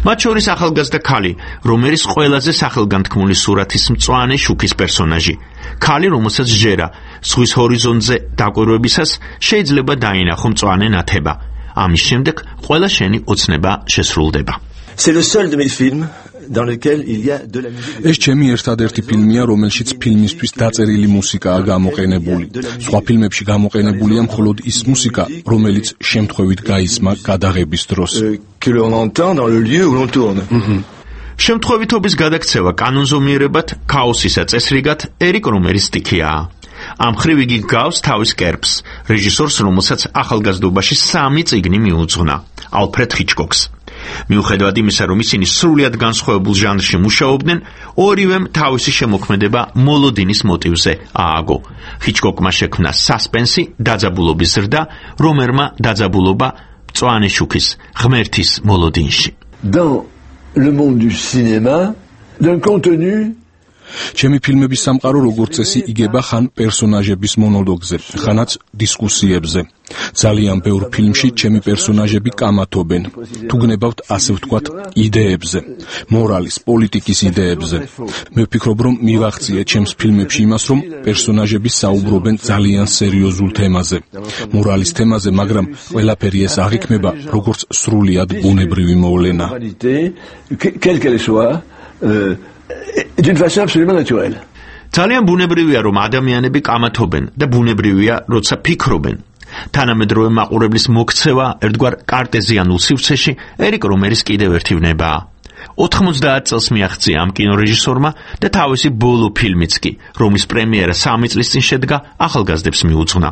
მათ შორის ახალგაზრდა ქალი, რომერის ყველაზე სახელგანთქმული სურათის მწვანე შუქის პერსონაჟი. ქალი, რომელსაც ჯერა ზღვის ჰორიზონტზე დაკვირვებისას შეიძლება დაინახო მწვანე ნათება. ამის შემდეგ ყველა შენი ოცნება შესრულდება. C'est le seul de mes films dans lequel il y a de la musique. ეს ჩემი ერთადერთი ფილმია, რომელშიც ფილმისთვის დაწერილი მუსიკაა გამოყენებული. სხვა ფილმებში გამოყენებულია მხოლოდ ის მუსიკა, რომელიც შემთხვევით გაისმა გადაღების დროს. Que l'on entend dans le lieu où l'on tourne. შემთხვევითობის გადაქცევა კანონზომიერებად, ქაოსისა წესრიგად ერიკ რომერის სტიქიაა. ამ ხრივ იგი გავს თავის კერპს, რეჟისორს, რომელსაც ახალგაზრდობაში სამი წიგნი მიუძღვნა, ალფრედ ჰიჩკოკს. მიუხედავად იმისა, რომ ისინი სრულიად განსხვავებულ ჟანრში მუშაობდნენ, ორივემ თავისი შემოქმედება მოლოდინის მოტივზე ააგო. ჰიჩკოკმა შექმნა სასპენსი, დაძაბულობის ზრდა, რომერმა დაძაბულობა მწვანე შუქის, ღმერთის მოლოდინში. Dans le monde du cinéma, d'un contenu ჩემი ფილმების სამყარო როგორც წესი იგება ხან პერსონაჟების მონოლოგზე, ხანაც დისკუსიებზე. ძალიან ბევრ ფილმში ჩემი პერსონაჟები კამათობენ. თუ გნებავთ ასე ვთქვათ, იდეებზე, მორალის, პოლიტიკის იდეებზე. მე ვფიქრობ, რომ მივახციე ჩემს ფილმებში იმას, რომ პერსონაჟები საუბრობენ ძალიან სერიოზულ თემაზე, მორალის თემაზე, მაგრამ ყველაფერი ეს აღიქმება როგორც სრულიად ბუნებრივი მოვლენა. ძალიან ბუნებრივია, რომ ადამიანები კამათობენ და ბუნებრივია, როცა ფიქრობენ. თანამედროვე მაყურებლის მოქცევა ერთგვარ კარტეზიანულ სივრცეში ერიკ რომერის კიდევ ერთი ვნებაა. ოთხმოცდაათ წელს მიაღწია ამ კინორეჟისორმა და თავისი ბოლო ფილმიც კი, რომლის პრემიერა სამი წლის წინ შედგა, ახალგაზრდებს მიუძღვნა.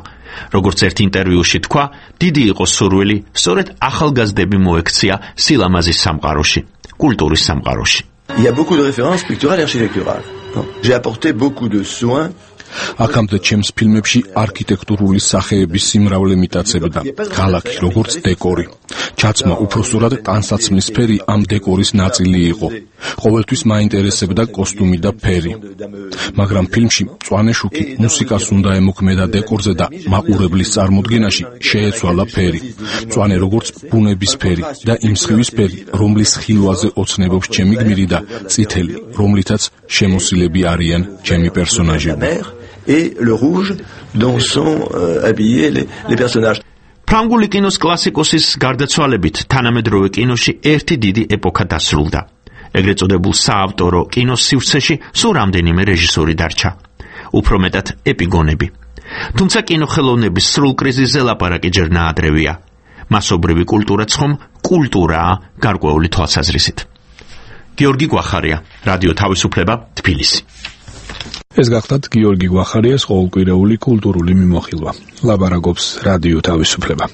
როგორც ერთ ინტერვიუში თქვა, დიდი იყო სურვილი სწორედ ახალგაზრდები მოექცია სილამაზის სამყაროში, კულტურის სამყაროში. Il y a beaucoup de références picturales et architecturales. J'ai apporté beaucoup de soins. აქამდე ჩემს ფილმებში არქიტექტურული სახეების სიმრავლე მიტაცებდა, ქალაქი როგორც დეკორი. ჩაცმა უпроსტურად ტანსაცმლის ფერი ამ დეკორის ნაწილი იყო. ყოველთვის მაინტერესებდა კოსტუმი და ფერი. მაგრამ ფილმში მწვანე შუქი მუსიკას უნდა ემოქმედა დეკორზე და მაყურებლის წარმოდგენაში შეეცვალა ფერი. მწვანე როგორც ბუნების ფერი და იმ სხივის ფერი, რომლის ხილვაზე ოცნებობს ჩემი გმირი და წითელი, რომლითაც შემოსილები არიან ჩემი პერსონაჟები. Et le rouge dont sont euh, habillés les, les personnages. ფრანგული კინოს კლასიკოსის გარდაცვალებით თანამედროვე კინოში ერთი დიდი ეპოქა დასრულდა. ეგრეთ წოდებულ საავტორო კინოს სივრცეში სულ რამდენიმე რეჟისორი დარჩა. უფრო მეტად ეპიგონები. თუმცა კინოხელოვნების სრულ კრიზისზე ლაპარაკი ჯერ ნაადრევია. მასობრივი კულტურაც ხომ კულტურაა გარკვეული თვალსაზრისით. გიორგი გვახარია, რადიო თავისუფლება, თბილისი. ეს გახლდათ გიორგი გვახარიას ყოველკვირეული კულტურული მიმოხილვა. ლაბარაკობს რადიო თავისუფლება.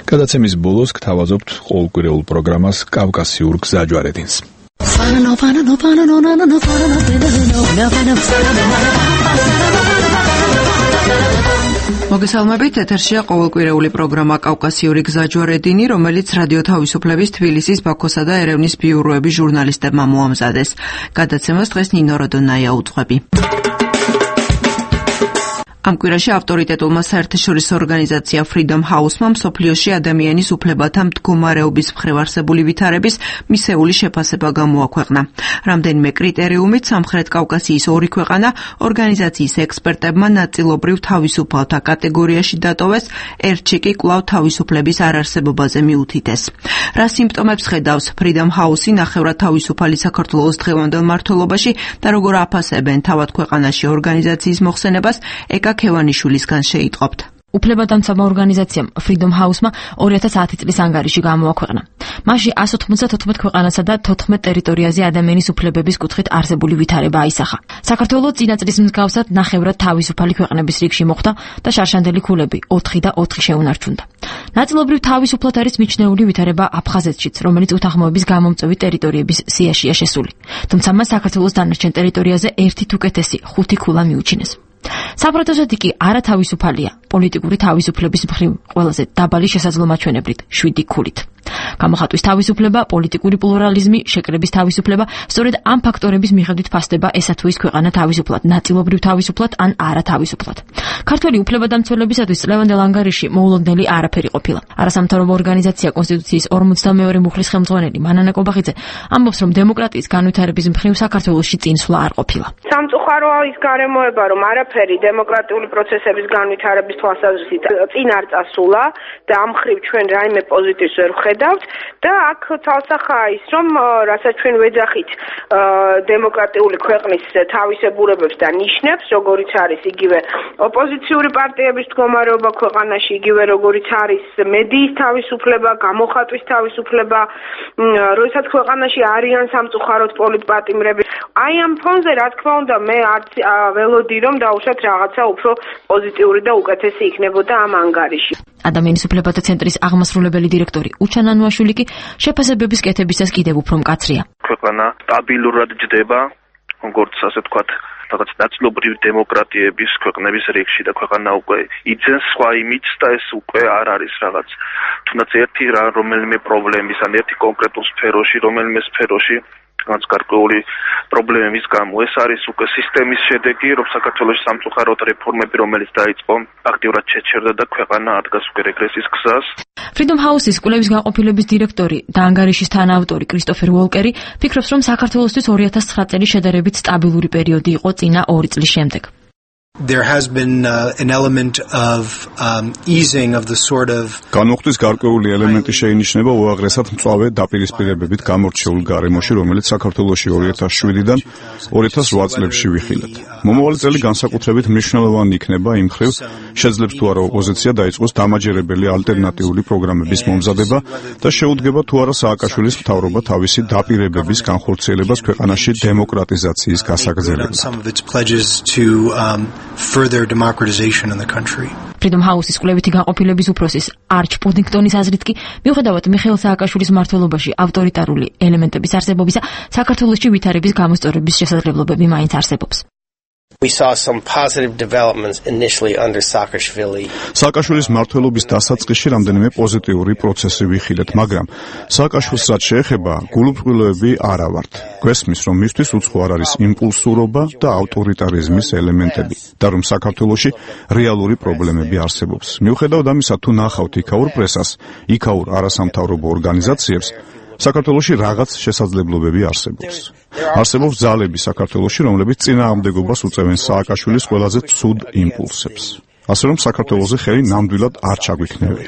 გადაცემის ბოლოს გთავაზობთ ყოველკვირეულ პროგრამას კავკასიურ გზაჯვარედინს. მოგესალმებით, ეთერშია ყოველკვირეული პროგრამა კავკასიური გზაჯვარედინი, რომელიც რადიო თავისუფლების თბილისის, ბაქოსა და ერევნის ბიუროების ჟურნალისტებმა მოამზადეს. გადაცემას დღეს ნინო როდონაია უძღვები. ამ კვირაში ავტორიტეტულმა საერთაშორისო ორგანიზაცია Freedom House-მა მსოფლიოში ადამიანის უფლებათა მდგომარეობის მხრივ არსებული ვითარების მისეული შეფასება გამოაქვეყნა. რამდენიმე კრიტერიუმით სამხრეთ კავკასიის ორი ქვეყანა ორგანიზაციის ექსპერტებმა ნაწილობრივ თავისუფალთა კატეგორიაში დატოვეს, ერთში კი კვლავ თავისუფლების არარსებობაზე მიუთითეს. რა სიმპტომებს ხედავს Freedom House-ი ნახევრად თავისუფალი საქართველოს დღევანდელ მმართველობაში და როგორ აფასებენ თავად ქვეყანაში ორგანიზაციის მოხსენებას, ეკა ქევანიშვილისგან შეიტყობთ. უფლებადამცავმა ორგანიზაციამ Freedom House-მა ორი ათას ათი წლის ანგარიში გამოაქვეყნა. მასში ასი ოცდაოთხ ქვეყანასა და თოთხმეტ ტერიტორიაზე ადამიანის უფლებების კუთხით არსებული ვითარება აისახა. საქართველოს წინა წლის მსგავსად ნახევრად თავისუფალი ქვეყნების რიგში მოხვდა და შარშანდელი ქულები ოთხი და ოთხი შეუნარჩუნდა. ნაწილობრივ თავისუფლად არის მიჩნეული ვითარება აფხაზეთშიც, რომელიც უთანხმოების გამომწვევი ტერიტორიების სიაშია შესული. თუმცა მას საქართველოს დანარჩენ ტერიტორიაზე ერთით უკეთესი ხუთი ქულა მიუჩინეს. საპროტესტო კი არათავისუფალია, პოლიტიკური თავისუფლების მხრივ ყველაზე დაბალი შესაძლომაჩვენებლით შვიდი ქულით. გამოხატვის თავისუფლება, პოლიტიკური პლურალიზმი, შეკრების თავისუფლება, სწორედ ამ ფაქტორების მიხედვით ფასდება ესა თუ ის ქვეყანა თავისუფლად, ნაწილობრივ თავისუფლად ან არათავისუფლად. ქართველი უფლებადამცველებისათვის წლევანდელ ანგარიში მოულოდნელი არაფერი ყოფილა. არასამთავრობო ორგანიზაცია კონსტიტუციის ორმოცდამეორე მუხლის ხელმძღვანელი მანანა კობახიძე ამბობს, რომ დემოკრატიის განვითარების მხრივ საქართველოში წინსვლა არ ყოფილა. სამწუხაროა ის გარემოება, რომ არაფერი დემოკრატიული პროცესების განვითარების თვალსაზრისით წინ არ წასულა და ამ მხრივ ჩვენ რაიმე პოზიტივს ვერ ვხედავთ და აქ თვალსახაა ის, რომ რასაც ჩვენ ვეძახით დემოკრატიული ქვეყნის თავისებურებებს და ნიშნებს, როგორიც არის იგივე ოპოზიციური პარტიების მდგომარეობა ქვეყანაში, იგივე როგორიც არის მედიის თავისუფლება, გამოხატვის თავისუფლება, როდესაც ქვეყანაში არიან სამწუხაროდ პოლიტპატიმრები. აი ამ ფონზე, რა თქმა უნდა, მე არც ველოდი რომ დაუშვათ რაღაცა უფრო პოზიტიური და უკეთესი იქნებოდა ამ ანგარიში. ადამიანის უფლებათა ცენტრის აღმასრულებელი დირექტორი უჩა ნანუაშვილი კი შეფასებების კეთებისას კიდევ უფრო მკაცრია. ქვეყანა სტაბილურად ჯდება, როგორც ასე ვთქვათ, რაღაც ნაწილობრივი დემოკრატიების ქვეყნების რიგში და ქვეყანა უკვე იძენს სხვა იმიდს და ეს უკვე არ არის რაღაც თუნდაც ერთი რომელიმე პრობლემის ან ერთი კონკრეტულ სფეროში, რომელიმე სფეროში რაც გარკვეული პრობლემების გამო ეს არის უკვე სისტემის შედეგი, რომ საქართველოს სამწუხაროდ რეფორმები, რომელიც დაიწყო, აქტიურად შეჩერდა და ქვეყანა ადგას უკვე რეგრესის გზას. Freedom House-ის კვლევის განყოფილების დირექტორი და ანგარიშის თანაავტორი კრისტოფერ ვოლკერი ფიქრობს, რომ საქართველოსთვის ორი ათას ცხრა წელი შედარებით სტაბილური პერიოდი იყო წინა ორი წლის შემდეგ. There has been uh, an element of um, easing of the sort of განუხტვის გარკვეული ელემენტი შეინიშნება უაღრესად მწვავე დაპირისპირებებით გამორჩეულ გარემოში, რომელიც საქართველოში ორი ათას შვიდიდან ორი ათას ოთხ წლებში ვიხილეთ. მომავალი წელი განსაკუთრებით მნიშვნელოვანი იქნება იმ მხრივ, შეძლებს თუ არა ოპოზიცია დაიწყოს დამაჯერებელი ალტერნატიული პროგრამების მომზადება და შეუდგება თუ არა სააკაშვილის მთავრობა თავისი დაპირებების განხორციელებას ქვეყანაში დემოკრატიზაციის გასაგრძელებლად. further democratization in the country. Freedom House-ის კვლევითი განყოფილების უფროსის არჩ პუდინგტონის აზრით კი, მიუხედავად მიხეილ სააკაშვილის მმართველობაში ავტორიტარული ელემენტების არსებობისა, საქართველოში ვითარების გამოსწორების შესაძლებლობები მაინც არსებობს. We saw some positive developments initially under Saakashvili. Saakashvilis მმართველობის დასაწყისში რამდენიმე პოზიტიური პროცესი ვიხილეთ, მაგრამ სააკაშვილს რაც შეეხება, გულუბრყვილოები არა ვართ. გვესმის, რომ მისთვის უცხო არ არის იმპულსურობა და ავტორიტარიზმის ელემენტები და რომ საქართველოში რეალური პრობლემები არსებობს. მიუხედავად ამისა, თუ ნახავთ იქაურ პრესას, იქაურ არასამთავრობო ორგანიზაციებს, საქართველოში რაღაც შესაძლებლობები არსებობს. არსებობს ძალები საქართველოში, რომლებიც წინააღმდეგობას უწევენ სააკაშვილის ყველაზე ცუდ იმპულსებს. ასე რომ საქართველოზე ხელი ნამდვილად არ ჩაგვიქნევია.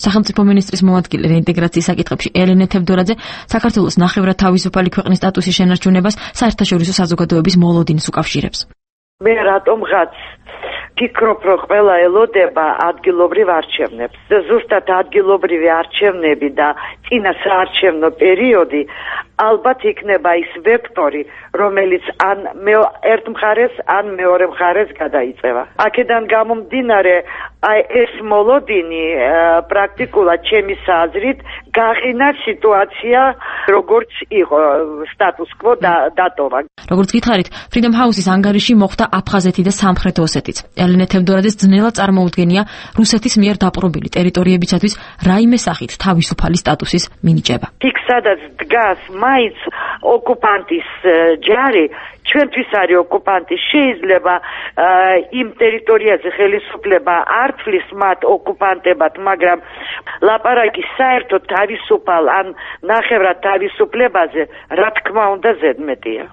სახელმწიფო მინისტრის მოადგილე რეინტეგრაციის საკითხებში ელენე თევდორაძე საქართველოს ნახევრად თავისუფალი ქვეყნის სტატუსის შენარჩუნებას საერთაშორისო საზოგადოების მოლოდინს უკავშირებს. მე რატომღაც ფიქრობ, რომ ყველა ელოდება ადგილობრივ არჩევნებს. ზუსტად ადგილობრივი არჩევნები და წინა საარჩევნო პერიოდი ალბათ იქნება ის ვექტორი, რომელიც ან ერთ მხარეს, ან მეორე მხარეს გადაიწევა. აქედან გამომდინარე, აი ეს მოლოდინი პრაქტიკულად ჩემის აზრით გაყინა სიტუაცია, როგორც იყო სტატუს კვო დატოვა. როგორც გითხარით, Freedom House-ის ანგარიში მოხდა აფხაზეთი და სამხრეთ ოსეთიც. ელენე თევდორაძეს ძნელად წარმოუდგენია რუსეთის მიერ დაპყრობილი ტერიტორიებისათვის რაიმე სახით თავისუფალი სტატუსის მინიჭება. იქ სადაც დგას მაინც ოკუპანტის ჯარი, ჩვენთვის არის ოკუპანტი, შეიძლება იმ ტერიტორიაზე ხელისუფლება არ თვლის მათ ოკუპანტებად, მაგრამ ლაპარაკი საერთოდ თავისუფალ ან ნახევრად თავისუფლებაზე, რა თქმა უნდა, ზედმეტია.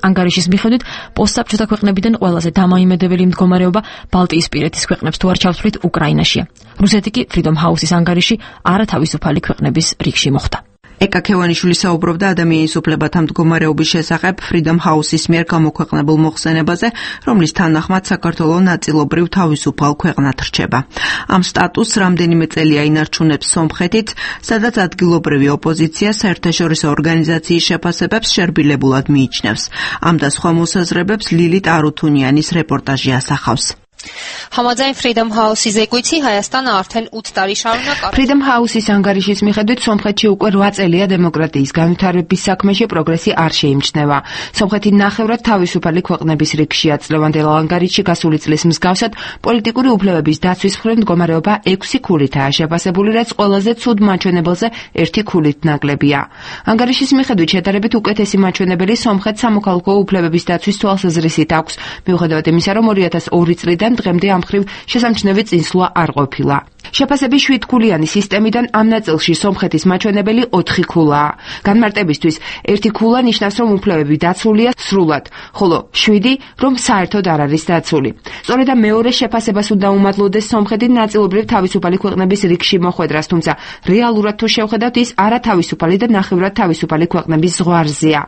ანგარიშის მიხედვით, პოსტსაბჭოთა ქვეყნებიდან ყველაზე დამოიმედებელი მდგომარეობა ბალტიისპირეთის ქვეყნებს თუ არ ჩავთვლით უკრაინაშია. რუსეთი კი Freedom House-ის ანგარიში არათავისუფალი ქვეყნების რიგში მოხვდა. ეკა ქევანიშვილი საუბრობდა ადამიანის უფლებათა მდგომარეობის შესახებ Freedom House-ის მიერ გამოქვეყნებულ მოხსენებაზე, რომლის თანახმად საქართველოს ნაწილობრივ თავისუფალ ქვეყნად რჩება. ამ სტატუსს რამდენიმე წელია ინარჩუნებს სომხეთიც, სადაც ადგილობრივი ოპოზიცია საერთაშორისო ორგანიზაციის შეფასებებს შერბილებულად მიიჩნევს. ამ და სხვა მოსაზრებებს ლილიტ არუთუნიანის რეპორტაჟი ასახავს. Համաձայն Freedom House-ի զեկույցի Հայաստանը արդեն ութ տարի շարունակ Freedom House-ის ანგարიშის მიხედვით სომხეთში უკვე რვა წელია დემოკრატიის განვითარების საქმეში პროგრესი არ შეიმჩნევა. სომხეთი ნახევრად თავისუფალი ქვეყნების რიგშია. წლევანდელ ანგარიშში გასული წლის მსგავსად პოლიტიკური უფლებების დაცვის მხრივ მდგომარეობა ექვსი ქულითაა შეფასებული, რაც ყველაზე ცუდ მაჩვენებელზე ერთი ქულით ნაკლებია. ანგარიშის მიხედვით შედარებით უკეთესი მაჩვენებელი სომხეთს სამოქალაქო უფლებების დაცვის თვალსაზრისით აქვს, მიუხედავად იმისა, რომ ორი ათას ორი წლიდან დღემდე ამ მხრივ შესამჩნევი წინსვლა არ ყოფილა. შეფასების შვიდქულიანი სისტემიდან ამ ნაწილში სომხეთის მაჩვენებელი ოთხი ქულაა. განმარტებისთვის, ერთი ქულა ნიშნავს, რომ უფლებები დაცულია სრულად, ხოლო შვიდი, რომ საერთოდ არ არის დაცული. სწორედ ამ მეორე შეფასებას უნდა უმადლოდეს სომხეთი ნაწილობრივ თავისუფალი ქვეყნების რიგში მოხვედრას, თუმცა რეალურად თუ შევხედავთ, ის არათავისუფალი და ნახევრად თავისუფალი ქვეყნების ზღვარზეა.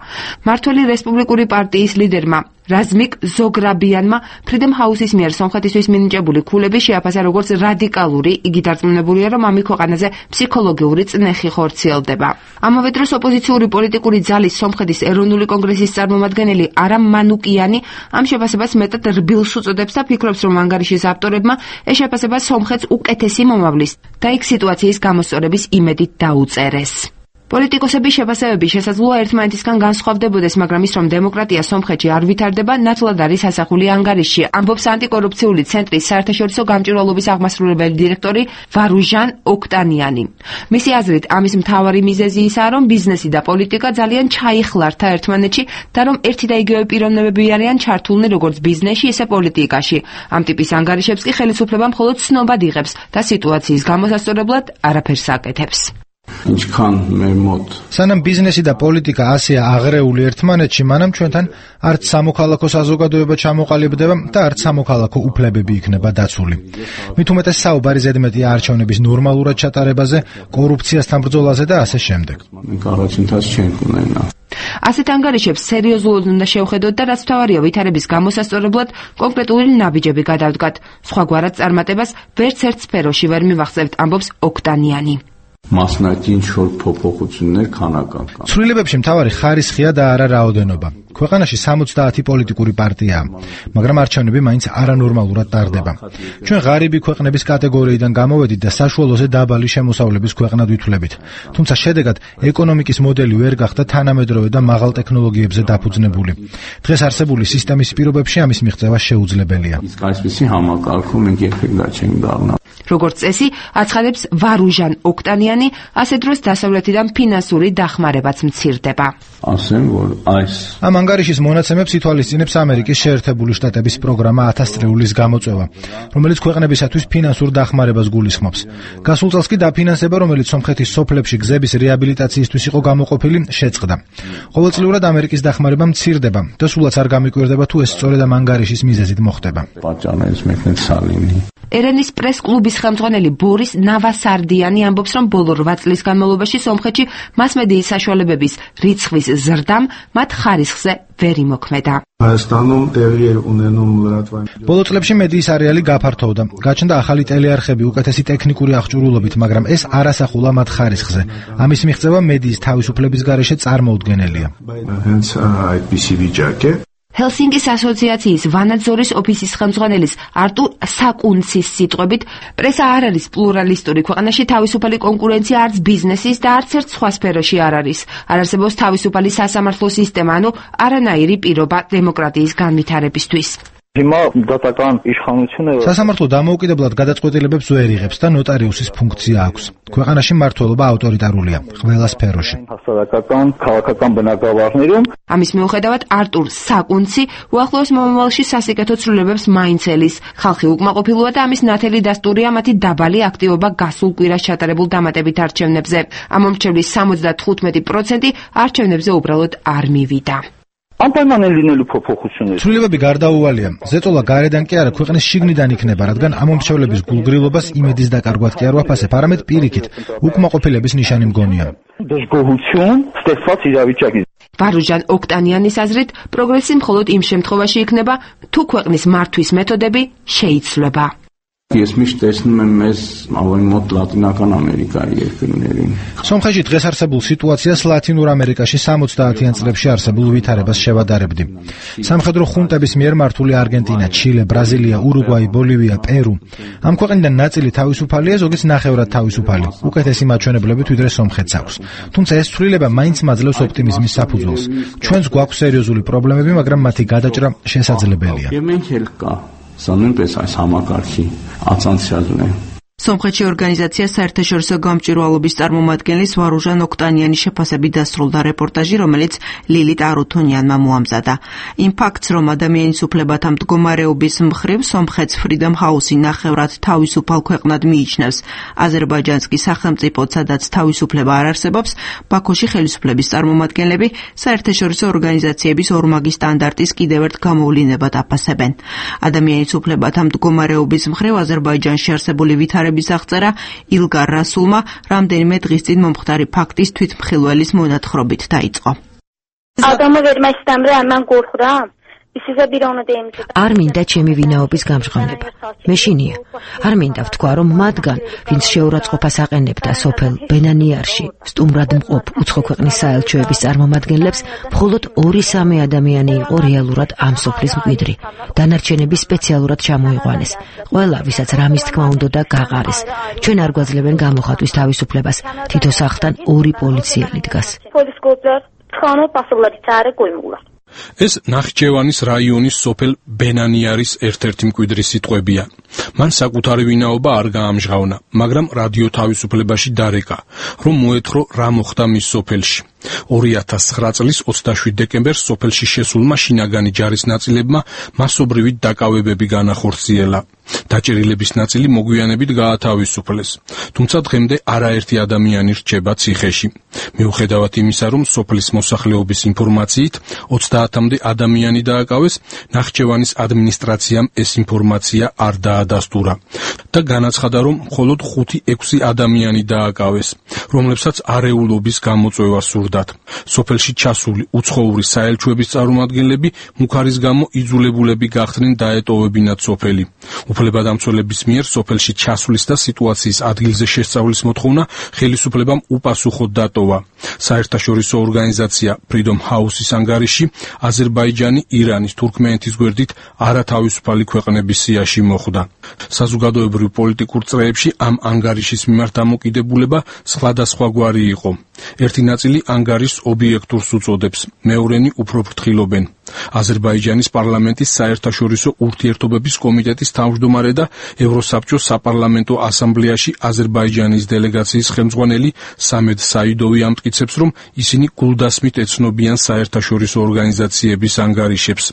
მმართველი რესპუბლიკური პარტიის ლიდერმა რაზმიკ ზოგრაბიანმა Freedom House-ის მიერ სომხეთისთვის მინიჭებული ქულები შეაფასა როგორც რადიკალური. იგი დარწმუნებულია, რომ ამით ქვეყანაზე ფსიქოლოგიური წნეხი ხორციელდება. ამავე დროს ოპოზიციური პოლიტიკური ძალის სომხეთის ეროვნული კონგრესის წარმომადგენელი არამ მანუკიანი ამ შეფასებას მეტად რბილს უწოდებს და ფიქრობს, რომ ანგარიშის ავტორებმა ეს შეფასება სომხეთს უკეთესი მომავლის და იქ სიტუაციის გამოსწორების იმედით დაუწერეს. პოლიტიკოსების შეფასებები შესაძლოა ერთმანეთისგან განსხვავდებოდეს, მაგრამ ის, რომ დემოკრატია სომხეთში არ ვითარდება, ნათლად არის ასახული ანგარიშში, ამბობს ანტიკორუფციული ცენტრის საერთაშორისო გამჭვირვალობის აღმასრულებელი დირექტორი ვარუჟან ოქტანიანი. მისი აზრით, ამის მთავარი მიზეზი ისაა, რომ ბიზნესი და პოლიტიკა ძალიან ჩაიხლართა ერთმანეთში და რომ ერთი და იგივე პიროვნებები არიან ჩართულნი როგორც ბიზნესში, ისე პოლიტიკაში. ამ ტიპის ანგარიშებს კი ხელისუფლება მხოლოდ ცნობად იღებს და სიტუაციის გამოსასწორებლად არაფერს აკეთებს. სანამ ბიზნესი და პოლიტიკა ასეა აღრეული ერთმანეთში, მანამ ჩვენთან არც სამოქალაქო საზოგადოება ჩამოყალიბდება და არც სამოქალაქო უფლებები იქნება დაცული. მით უმეტეს საუბარი ზედმეტია არჩევნების ნორმალურად ჩატარებაზე, კორუფციასთან ბრძოლაზე და ასე შემდეგ. ასეთ ანგარიშებს სერიოზულად უნდა შევხედოთ და რაც მთავარია ვითარების გამოსასწორებლად კონკრეტული ნაბიჯები გადავდგათ. სხვაგვარად წარმატებას ვერც ერთ სფეროში ვერ მივახცევთ, ამბობს ოქტანიანი. ცვლილებებში მთავარი ხარისხია და არა რაოდენობა. ქვეყანაში სამოცდაათი პოლიტიკური პარტიაა, მაგრამ არჩევნები მაინც არანორმალურად ტარდება. ჩვენ ღარიბი ქვეყნების კატეგორიიდან გამოვედით და საშუალოზე დაბალი შემოსავლების ქვეყნად ვითვლებით. თუმცა შედეგად ეკონომიკის მოდელი ვერ გახდა თანამედროვე და მაღალ ტექნოლოგიებზე დაფუძნებული. დღეს არსებული სისტემის პირობებში ამის მიღწევა შეუძლებელია. როგორც წესი, აცხადებს ვარუჟან ოქტანიანი, ასე დროს დასავლეთიდან ფინანსური დახმარებაც მცირდება. ამ ანგარიშის მონაცემებს ითვალისწინებს ამერიკის შეერთებული შტატების პროგრამა ათას წრეულის გამოწვევა, რომელიც ქვეყნებისათვის ფინანსურ დახმარებას გულისხმობს. გასულ წელს კი დაფინანსება, რომელიც სომხეთის სოფლებში გზების რეაბილიტაციისთვის იყო გამოყოფილი, შეწყდა. ყოველწლიურად ამერიკის დახმარება მცირდება და სულაც არ გამიკვირდება თუ ეს სწორედ ამ ანგარიშის მიზეზით მოხდება. ერენის პრეს-კლუბის ხელმძღვანელი ბორის ნავასარდიანი ამბობს, რომ ბოლო რვა წლის განმავლობაში სომხეთში მასმედიის საშუალებების რიცხვის ზრდამ მათ ხარისხზე ვერ იმოქმედა. ბოლო წლებში მედიის არეალი გაფართოვდა. გაჩნდა ახალი ტელეარხები უკეთესი ტექნიკური აღჭურვილობით, მაგრამ ეს არ ასახულა მათ ხარისხზე. ამის მიღწევა მედიის თავისუფლების გარეშე წარმოუდგენელია. ჰელსინკის ასოციაციის ვანაძორის ოფისის ხელმძღვანელის არტურ საკუნცის სიტყვებით, პრესა არ არის პლურალისტური ქვეყანაში, თავისუფალი კონკურენცია არც ბიზნესის და არც ერთ სხვა სფეროში არ არის. არ არსებობს თავისუფალი სასამართლო სისტემა, ანუ არანაირი პირობა დემოკრატიის განვითარებისთვის. სასამართლო დამოუკიდებლად გადაწყვეტილებებს ვერ იღებს და ნოტარიუსის ფუნქცია აქვს. ქვეყანაში მმართველობა ავტორიტარულია ყველა სფეროში. ამის მიუხედავად არტურ საკუნცი უახლოეს მომავალში სასიკეთო ცვლილებებს მაინც ელის. ხალხი უკმაყოფილოა და ამის ნათელი დასტურია მათი დაბალი აქტივობა გასულ კვირას ჩატარებულ დამატებით არჩევნებზე. ამომრჩევლის სამოცდათხუთმეტი პროცენტი არჩევნებზე უბრალოდ არ მივიდა. ცვლილებები გარდაუვალია. ზეწოლა გარედან კი არა, ქვეყნის შიგნიდან იქნება, რადგან ამომრჩევლების გულგრილობას იმედის დაკარგვად კი არ ვაფასებ, არამედ პირიქით, უკმაყოფილების ნიშანი მგონია. ვარუჟან ოქტანიანის აზრით, პროგრესი მხოლოდ იმ შემთხვევაში იქნება, თუ ქვეყნის მართვის მეთოდები შეიცვლება. სომხეთში დღეს არსებულ სიტუაციას ლათინურ ამერიკაში სამოცდაათიან წლებში არსებულ ვითარებას შევადარებდი. სამხედრო ხუნტების მიერ მართული არგენტინა, ჩილე, ბრაზილია, ურუგვაი, ბოლივია, პერუ. ამ ქვეყნიდან ნაწილი თავისუფალია, ზოგიც ნახევრად თავისუფალი. უკეთესი მაჩვენებლებით ვიდრე სომხეთს აქვს. თუმცა ეს ცვლილება მაინც მაძლევს ოპტიმიზმის საფუძველს. ჩვენს გვაქვს სერიოზული პრობლემები, მაგრამ მათი გადაჭრა შესაძლებელია. სომხეთში ორგანიზაცია საერთაშორისო გამჭვირვალობის წარმომადგენლის ვარუჟან ოქტანიანის შეფასებით დასრულდა რეპორტაჟი, რომელიც ლილიტ არუთუნიანმა მოამზადა. იმ ფაქტს, რომ ადამიანის უფლებათა მდგომარეობის მხრივ სომხეთს Freedom House-ი ნახევრად თავისუფალ ქვეყნად მიიჩნევს. აზერბაიჯანს კი სახელმწიფოდ, სადაც თავისუფლება არ არსებობს, ბაქოში ხელისუფლების წარმომადგენლები საერთაშორისო ორგანიზაციების ორმაგი სტანდარტის კიდევ ერთ გამოვლინებად აფასებენ. ადამიანის უფლებათა მდგომარეობის მხრივ აზერბაიჯანში არსებული ვითარება აღწერა ილგარ რასულმა რამდენიმე დღის წინ მომხდარი ფაქტის თვითმხილველის მონათხრობით დაიწყო. آدمو ورمشتم را من گرخورم არ მინდა ჩემი ვინაობის გამჟღავნება. მეშინია. არ მინდა ვთქვა, რომ მათგან, ვინც შეურაცხყოფას აყენებდა სოფელ ბენანიარში, სტუმრად მყოფ უცხო ქვეყნის საელჩოების წარმომადგენლებს, მხოლოდ ორი-სამი ადამიანი იყო რეალურად ამ სოფლის მკვიდრი. დანარჩენები სპეციალურად ჩამოიყვანეს. ყველა, ვისაც რამის თქმა უნდოდა, გაყარეს. ჩვენ არ გვაძლევენ გამოხატვის თავისუფლებას. თითო სახლთან ორი პოლიციელი დგას. ეს ნახიჩევანის რაიონის სოფელ ბენანიარის ერთ-ერთი მკვიდრის სიტყვებია. მან საკუთარი ვინაობა არ გაამჟღავნა, მაგრამ რადიო თავისუფლებაში დარეკა, რომ მოეთრო რა მოხდა მის სოფელში. ორი ათას ცხრა წლის ოცდაშვიდ დეკემბერს სოფელში შესულმა შინაგანი ჯარის ნაწილებმა მასობრივი დაკავებები განახორციელა. დაჭერილების ნაწილი მოგვიანებით გაათავისუფლეს, თუმცა დღემდე არაერთი ადამიანი რჩება ციხეში. მიუხედავად იმისა, რომ სოფლის მოსახლეობის ინფორმაციით ოცდაათამდე ადამიანი დააკავეს, ნახიჩევანის ადმინისტრაციამ ეს ინფორმაცია არ დაადასტურა და განაცხადა, რომ მხოლოდ ხუთი-ექვსი ადამიანი დააკავეს, რომლებსაც არეულობის გამოწვევა სურდათ. სოფელში ჩასული უცხოური საელჩოების წარმომადგენლები მუქარის გამო იძულებულები გახდნენ დაეტოვებინათ სოფელი. უფლებადამცველების მიერ სოფელში ჩასვლის და სიტუაციის ადგილზე შესწავლის მოთხოვნა ხელისუფლებამ უპასუხოდ დატოვა. საერთაშორისო ორგანიზაცია Freedom House-ის ანგარიში აზერბაიჯანი ირანის თურქმენეთის გვერდით არათავისუფალი ქვეყნების სიაში მოხვდა. საზოგადოებრივ პოლიტიკურ წრეებში ამ ანგარიშის მიმართ დამოკიდებულება სხვადასხვაგვარი იყო. ერთი ნაწილი ანგარიშს ობიექტურს უწოდებს, მეორენი უფრო ფრთხილობენ. აზერბაიჯანის პარლამენტის საერთაშორისო ურთიერთობების კომიტეტის თავმჯდომარე და ევროსაბჭოს საპარლამენტო ასამბლეაში აზერბაიჯანის დელეგაციის ხელმძღვანელი სამედ საიდოვი ამტკიცებს, რომ ისინი გულდასმით ეცნობიან საერთაშორისო ორგანიზაციების ანგარიშებს.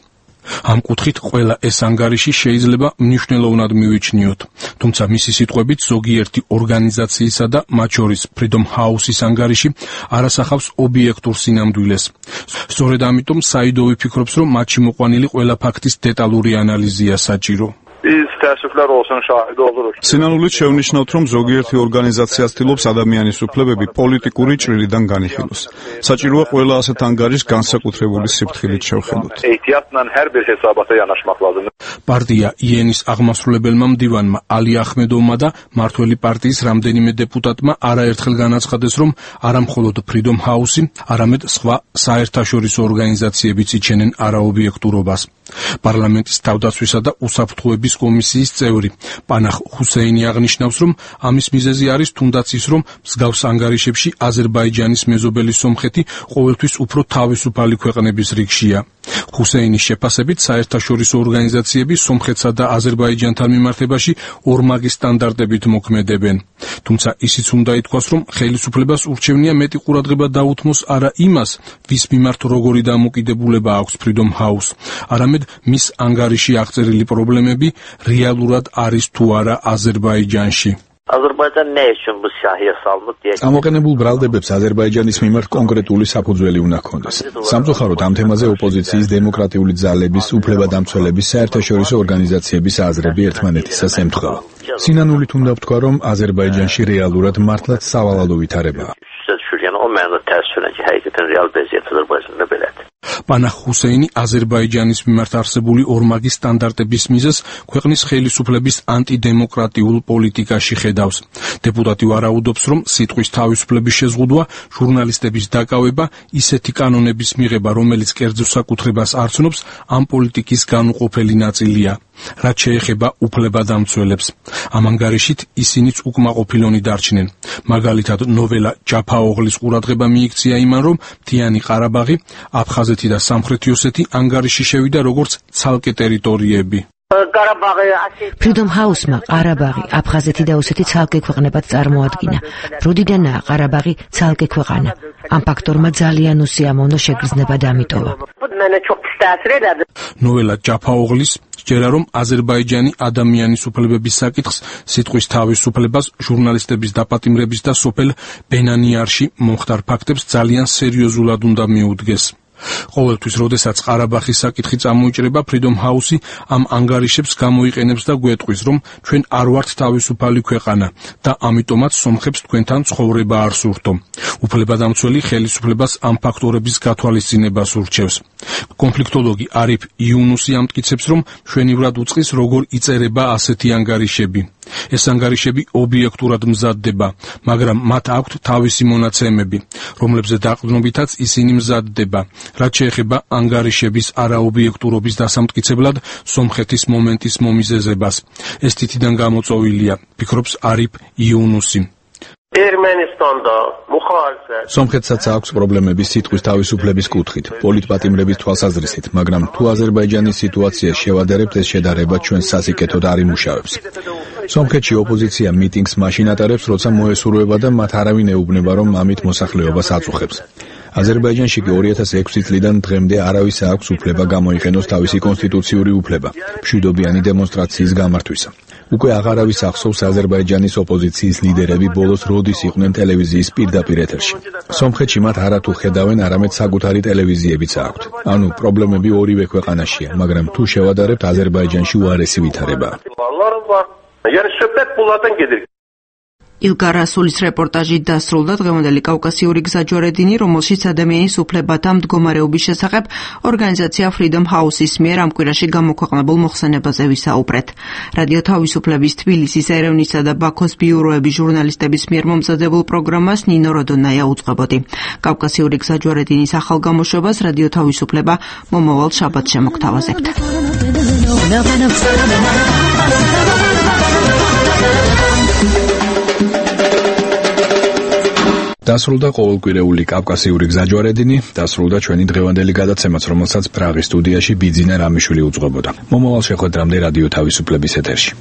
ამ კუთხით ყველა ეს ანგარიში შეიძლება მნიშვნელოვნად მივიჩნიოთ, თუმცა მისი სიტყვებით ზოგიერთი ორგანიზაციისა და მათ შორის Freedom House-ის ანგარიში არ ასახავს ობიექტურ სინამდვილეს. სწორედ ამიტომ საიდოვი ფიქრობს, რომ მათში მოყვანილი ყველა ფაქტის დეტალური ანალიზია საჭირო. სინანულით შევნიშნავთ, რომ ზოგიერთი ორგანიზაცია ცდილობს ადამიანის უფლებები პოლიტიკური ჭრილიდან განიხილოს. საჭიროა ყველა ასეთ ანგარიშს განსაკუთრებული სიფრთხილით შევხედოთ. პარტია იენის აღმასრულებელმა მდივანმა ალი ახმედოვმა და მართველი პარტიის რამდენიმე დეპუტატმა არაერთხელ განაცხადეს, რომ არა მხოლოდ Freedom House-ი, არამედ სხვა საერთაშორისო ორგანიზაციებიც იჩენენ არაობიექტურობას. პარლამენტის თავდაცვისა და უსაფრთხოების კომისიის წევრი პანახ ჰუსეინი აღნიშნავს, რომ ამის მიზეზი არის თუნდაც ის, რომ მსგავს ანგარიშებში აზერბაიჯანის მეზობელი სომხეთი ყოველთვის უფრო თავისუფალი ქვეყნების რიგშია. ჰუსეინის შეფასებით საერთაშორისო ორგანიზაციები სომხეთსა და აზერბაიჯანთან მიმართებაში ორმაგი სტანდარტებით მოქმედებენ. თუმცა ისიც უნდა ითქვას, რომ ხელისუფლებას ურჩევნია მეტი ყურადღება დაუთმოს არა იმას, ვის მიმართ როგორი დამოკიდებულება აქვს Freedom House, არამედ მის ანგარიში აღწერილი პრობლემები რეალურად არის თუ არა აზერბაიჯანში. ამოყენებულ ბრალდებებს აზერბაიჯანის მიმართ კონკრეტული საფუძველი უნდა ჰქონდეს. სამწუხაროდ ამ თემაზე ოპოზიციის დემოკრატიული ძალების, უფლებადამცველების, საერთაშორისო ორგანიზაციების აზრები ერთმანეთისას ემთხვევა. სინანულით უნდა ვთქვა, რომ აზერბაიჯანში რეალურად მართლაც სავალალო ვითარებაა. პანახ ჰუსეინი აზერბაიჯანის მიმართ არსებული ორმაგი სტანდარტების მიზეზს ქვეყნის ხელისუფლების ანტიდემოკრატიულ პოლიტიკაში ხედავს. დეპუტატი ვარაუდობს, რომ სიტყვის თავისუფლების შეზღუდვა, ჟურნალისტების დაკავება, ისეთი კანონების მიღება, რომელიც კერძო საკუთრებას არ ცნობს, ამ პოლიტიკის განუყოფელი ნაწილია. რაც შეეხება უფლებადამცველებს. ამ ანგარიშით ისინიც უკმაყოფილონი დარჩნენ. მაგალითად, ნოველა ჯაფაოღლის ყურადღება მიიქცია იმან, რომ მთიანი ყარაბაღი, აფხაზეთი და სამხრეთი ოსეთი ანგარიში შევიდა როგორც ცალკე ტერიტორიები. Freedom House-მა ყარაბაღი, აფხაზეთი და ოსეთი ცალკე ქვეყნებად წარმოადგინა. როდიდანაა ყარაბაღი ცალკე ქვეყანა. ამ ფაქტორმა ძალიან უსიამოვნო შეგრძნება დამიტოვა. ნოველა ჯაფაოღლის სჯერა, რომ აზერბაიჯანი ადამიანის უფლებების საკითხს, სიტყვის თავისუფლებას, ჟურნალისტების დაპატიმრების და სოფელ ბენანიარში მომხდარ ფაქტებს ძალიან სერიოზულად უნდა მიუდგეს. ყოველთვის, როდესაც ყარაბაღის საკითხი წამოიჭრება, Freedom House-ი ამ ანგარიშებს გამოიყენებს და გვეტყვის, რომ ჩვენ არ ვართ თავისუფალი ქვეყანა და ამიტომაც სომხებს თქვენთან ცხოვრება არ სურთო. უფლებადამცველი ხელისუფლებას ამ ფაქტორების გათვალისწინებას ურჩევს. კონფლიქტოლოგი არიფ იუნუსი ამტკიცებს, რომ მშვენივრად უწყის, როგორ იწერება ასეთი ანგარიშები. ეს ანგარიშები ობიექტურად მზადდება, მაგრამ მათ აქვთ თავისი მონაცემები, რომლებზე დაყრდნობითაც ისინი მზადდება. რაც შეეხება ანგარიშების არაობიექტურობის დასამტკიცებლად სომხეთის მომენტის მომიზეზებას. ეს თითიდან გამოწვეულია, ფიქრობს არიფ იუნუსი. ერმენისტანდა მუხალიფეთ სომხეთსაც აქვს პრობლემები სიტყვის თავისუფლების კუთხით, პოლიტპატიმრების თვალსაზრისით, მაგრამ თუ აზერბაიჯანის სიტუაციას შევადარებთ, ეს შედარება ჩვენ სასიკეთოდ არ იმუშავებს. სომხეთში ოპოზიცია მიტინგს მაშინ ატარებს, როცა მოესურვება და მათ არავინ ეუბნება, რომ ამით მოსახლეობას აწუხებს. აზერბაიჯანში კი ორი ათას ექვსი წლიდან დღემდე არავის აქვს უფლება გამოიყენოს თავისი კონსტიტუციური უფლება მშვიდობიანი დემონსტრაციის გამართვისა. უკვე აღარავის ახსოვს აზერბაიჯანის ოპოზიციის ლიდერები ბოლოს როდის იყვნენ ტელევიზიის პირდაპირ ეთერში. სომხეთში მათ არათუ ხედავენ, არამედ საკუთარი ტელევიზიებიც აქვთ. ანუ პრობლემები ორივე ქვეყანაშია, მაგრამ თუ შევადარებთ, აზერბაიჯანში უარესი ვითარებაა. ილგარ რასულის რეპორტაჟი დასრულდა. დღევანდელი კავკასიური გზაჯვარედინი, რომელშიც ადამიანის უფლებათა მდგომარეობის შესახებ ორგანიზაცია Freedom House-ის მიერ ამ კვირაში გამოქვეყნებულ მოხსენებაზე ვისაუბრეთ. რადიო თავისუფლების თბილისის, ერევნისა და ბაქოს ბიუროების ჟურნალისტების მიერ მომზადებულ პროგრამას ნინო როდონაია უწყებოდი. კავკასიური გზაჯვარედინის ახალ გამოშვებას რადიო თავისუფლება მომავალ შაბათს შემოგთავაზებთ. დასრულდა ყოველკვირეული კავკასიური გზაჯვარედინი, დასრულდა ჩვენი დღევანდელი გადაცემაც, რომელსაც პრაღის სტუდიაში ბიძინა რამიშვილი უძღვებოდა. მომავალ შეხვედრამდე რადიო თავისუფლების ეთერში.